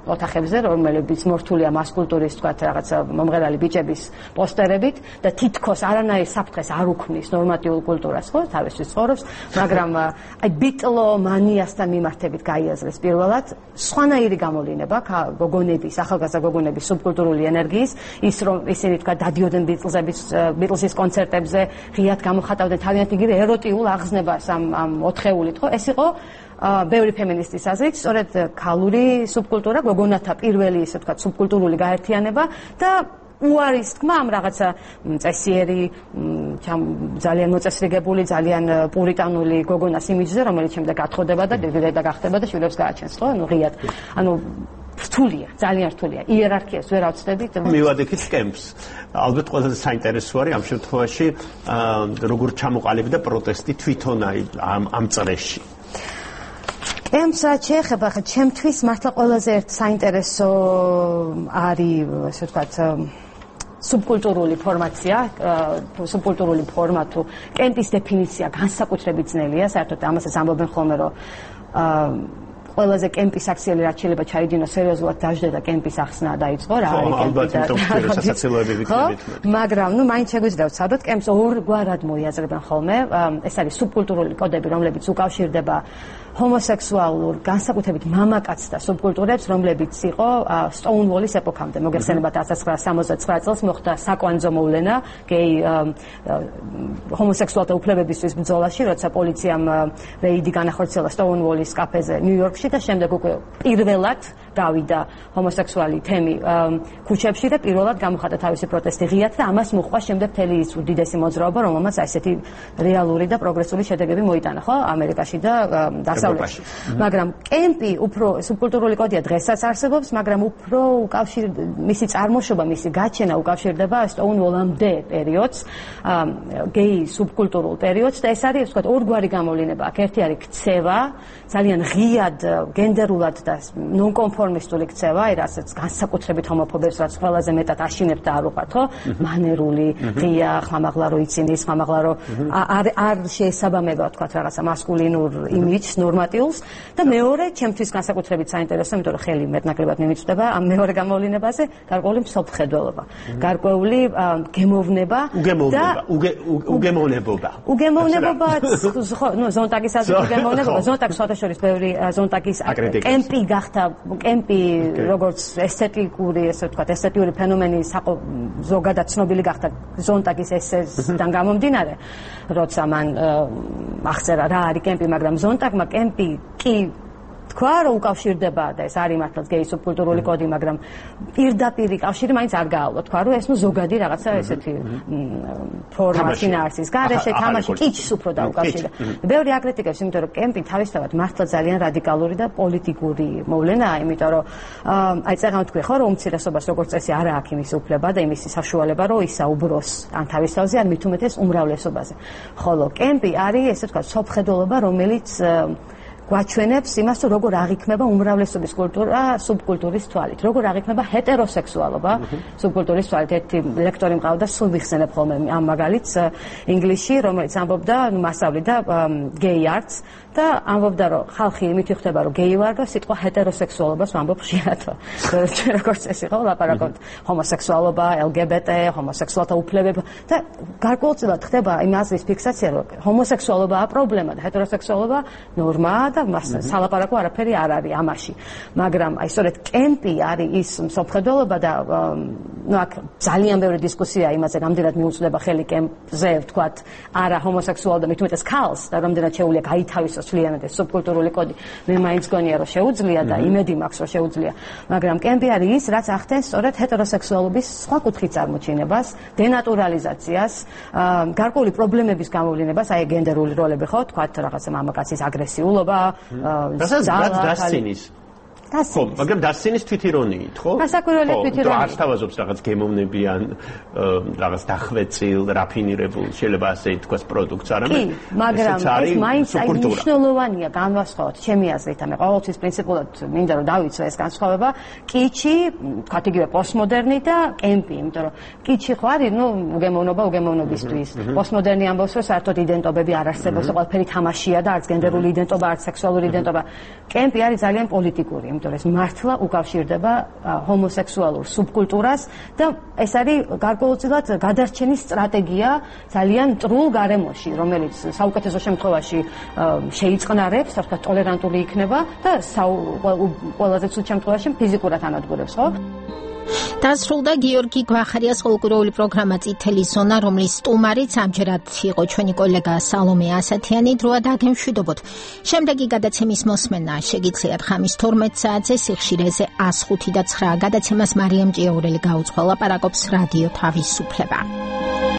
ოთახებზე, რომლებიც მორთულია მასკულტურის, თქვათ, რაღაცა მომღერალი ბიჭების პოსტერებით და თითქოს არანაირ საფრთხეს არ უქმნის ნორმატიულ კულტურას, ხო, თავისთვის ცხოვრობს, მაგრამ აი ბიტლომანიასთან მიმართებით გაიაზრეს პირველად სხვანაირი გამოვლინება გოგონების, ახალგაზრდა გოგონების სუბკულტურული ენერგიის, ის რომ ისინი თქვა დადიოდნენ ბიტლსის კონცერტებზე, ღიად გამოხატავდნენ თავიანთ იგივე ეროტიულ აღზნებას ამ ოთხეულით, ხო, ეს იყო ბევრი ფემინისტის აზრით, სწორედ ქალური სუბკულტურა, გოგონათა პირველი, ესე ვთქვათ, სუბკულტურული გაერთიანება და უარის თქმა ამ რაღაცა წესიერი, ძალიან მოწესრიგებული, ძალიან პურიტანული გოგონას იმიჯზე, რომელიც შემდეგ გათხოვდება და დედა გახდება და შვილებს გააჩენს, ხო? ანუ ღიად, ანუ რთულია, ძალიან რთულია. იერარქიას ვერ ავწდებით. მივადექით კემპს. ალბათ ყველაზე საინტერესო არის ამ შემთხვევაში როგორ ჩამოყალიბდა პროტესტი თვითონ ამ წრეში. კემპსაც შეეხება, ხა ჩემთვის მართლა ყველაზე ერთ საინტერესო არის, ასე ვთქვათ, სუბკულტურული ფორმაცია, სუბკულტურული ფორმა თუ კემპის დეფინიცია განსაკუთრებით ძნელია, საერთოდ ამასაც ამბობენ ხოლმე, რომ ყველაზე კემპის აქციელი რაც შეიძლება ჩაიდინოს სერიოზულად დაждდა და კემპის ახსნა დაიწყო რა არის კემპი და მაგრამ ნუ მაინც შეგვიძლია ვცადოთ კემპს ორგვარად მოიაზრებენ ხოლმე ეს არის სუბკულტურული კოდები რომლებიც უკავშირდება ჰომოსექსუალურ განსაკუთრებით მამაკაცთა სუბკულტურებს რომლებიც იყო სტოუნვოლის ეპოქამდე მოგეხსენებათ 1969 წელს მოხდა საკვანძო მოვლენა გეი ჰომოსექსუალთა უფლებებისთვის ბრძოლაში როცა პოლიციამ რეიდი განახორციელა სტოუნვოლის კაფეზე ნიუ-იორკში და შემდეგ უკვე პირველად გავიდა ჰომოსექსუალი თემი ქუჩებში და პირველად გამოხატა თავისი პროტესტი ღიად და ამას მოჰყვა შემდეგ მთელი ის უდიდესი მოძრაობა რომელმაც ესეთი რეალური და პროგრესული შედეგები მოიტანა ხო ამერიკაში და დასავლეთში მაგრამ კემპი უფრო სუბკულტურული კოდია დღესაც არსებობს მაგრამ უფრო მისი წარმოშობა მისი გაჩენა უკავშირდება სტოუნვოლამდე პერიოდს გეი სუბკულტურულ პერიოდს და ეს არის ვთქვათ ორგვარი გამოვლინება აქ ერთი არის ქცევა ძალიან ღიად გენდერულად და ნონკონფორმისტული ქცევა, რასაც განსაკუთრებით ჰომოფობებს რაც ყველაზე მეტად აშინებს და არ უყვართ, ხო? მანერული, ღია, ხმამაღლა რო იცინი, ხმამაღლა რო არ შეესაბამება, თქვათ, რაღაცა მასკულინურ იმიჯს, ნორმატიულს და მეორე, ჩემთვის განსაკუთრებით საინტერესო, იმიტომ რომ ხელი მეტნაკლებად მიმიწვდება ამ მეორე გამოვლენებაზე, გარკვეული მსოფლმხედველობა, გარკვეული გემოვნება და უგემოვნებობა. უგემოვნებობაც, ხო, ნუ ზონტაგის აზრით უგემოვნებობა, ზონტაგს შორის ბევრი ზონტაგის კემპი გახდა კემპი როგორც ესთეტიკური, ესე ვთქვათ, ესთეტიური ფენომენი ზოგადად ცნობილი გახდა ზონტაგის ესესთან გამომდინარე, როცა მან აღწერა რა არის კემპი, მაგრამ ზონტაგმა კემპი კი თქვა, რომ უკავშირდება და ეს არის მართლაც გეი სუბკულტურული კოდი, მაგრამ პირდაპირი კავშირი მაინც არ გააავლო, თქვა, რომ ეს ნუ ზოგადი რაღაცა ესეთი ფორმა შინაარსის გარეშე თამაში კიჩს უფრო დაუკავშირდა. ბევრი აკრიტიკებს, იმიტომ რომ კემპი თავისთავად მართლა ძალიან რადიკალური და პოლიტიკური მოვლენაა, იმიტომ რომ აი წეგან თქვი ხო, რომ უმცირესობას როგორც წესი არ აქვს იმის უფლება და იმის საშუალება, რომ ისაუბროს ან თავის თავზე, ან მით უმეტეს უმრავლესობაზე. ხოლო კემპი არის, ესე ვთქვათ, სოფხედულობა, რომელიც გვაჩვენებს იმას, რომ როგორ აღიქმება უმრავლესობის კულტურა სუბკულტურის თვალით, როგორ აღიქმება ჰეტეროსექსუალობა სუბკულტურის თვალით. ერთი ლექტორი მყავდა, სულ ვიხსენებ ხოლმე ამ მაგალითს ინგლისში, რომელიც ამბობდა, მასწავლიდა gay arts და ამბობდა, რომ ხალხი იმით იხდება, რომ გეი ვარ და სიტყვა ჰეტეროსექსუალობას ვამბობ ხშირად. როგორც ეს იყო, ლაპარაკობთ ჰომოსექსუალობა, LGBT, ჰომოსექსუალთა უფლებები და გარკვეულწილად ხდება იმ აზრის ფიქსაცია, რომ ჰომოსექსუალობაა პრობლემა და ჰეტეროსექსუალობა ნორმაა და სალაპარაკო არაფერი არ არის ამაში. მაგრამ აი სწორედ კემპი არის ის მსოფლმხედველობა და აქ ძალიან ბევრი დისკუსია იმაზე, რამდენად მიუწვდება ხელი კემპზე, ვთქვათ, არა ჰომოსექსუალ და მით უმეტეს ქალს და რამდენად შეუძლია გაითავისოს მთლიანად ეს სუბკულტურული კოდი. მე მაინც გონია, რომ შეუძლია და იმედი მაქვს, რომ შეუძლია. მაგრამ კემპი არის ის, რაც ახდენს სწორედ ჰეტეროსექსუალობის სხვა კუთხით წარმოჩინებას, დენატურალიზაციას, გარკვეული პრობლემების გამოვლენებას, აი გენდერული როლები ხო, თქვათ რაღაცა მამაკაცის აგრესიულობა, დასცინის ხო, მაგრამ დასცინის თვითირონიით, ხო? გასაკვირველი თვითირონიით. არ თავაზობს რაღაც გემოვნებიან, რაღაც დახვეწილ, რაფინირებულ, შეიძლება ასე ითქვას პროდუქტს, არამედ მაგრამ ეს მაინც აი მნიშვნელოვანია განვასხვაოთ ჩემი აზრით, ანუ ყოველთვის პრინციპულად მინდა რომ დავიცვა ეს განსხვავება, კიჩი, თქვათ იგივე პოსტმოდერნი და კემპი, იმიტომ რომ კიჩი ხო არის, უგემოვნობა უგემოვნობისთვის. პოსტმოდერნი ამბობს, რომ საერთოდ იდენტობები არ არსებობს, ყველაფერი თამაშია და არც გენდერული იდენტობა, არც სექსუალური იდენტობა. კემპი არის ძალიან პოლიტიკური. იმიტომ ეს მართლა უკავშირდება ჰომოსექსუალურ სუბკულტურას და ეს არის გარკვეულწილად გადარჩენის სტრატეგია ძალიან მტრულ გარემოში, რომელიც საუკეთესო შემთხვევაში შეიწყნარებს, ასე ვთქვათ, ტოლერანტული იქნება და ყველაზე ცუდ შემთხვევაში ფიზიკურად ანადგურებს, ხო? დასრულდა გიორგი გვახარიას ხალხური პროგრამა წითელი ზონა, რომლის სტუმარიც ამჯერად იყო ჩვენი კოლეგა სალომე ასათიანი. დროა დაგემშვიდობოთ. შემდეგი გადაცემის მოსმენა შეგიძლიათ ხამის 12 საათზე სიხშირეზე 105 და 9 გადაცემას მარიამ ჭიაურელი გაუძღვა, ლაპარაკობს რადიო თავისუფლება.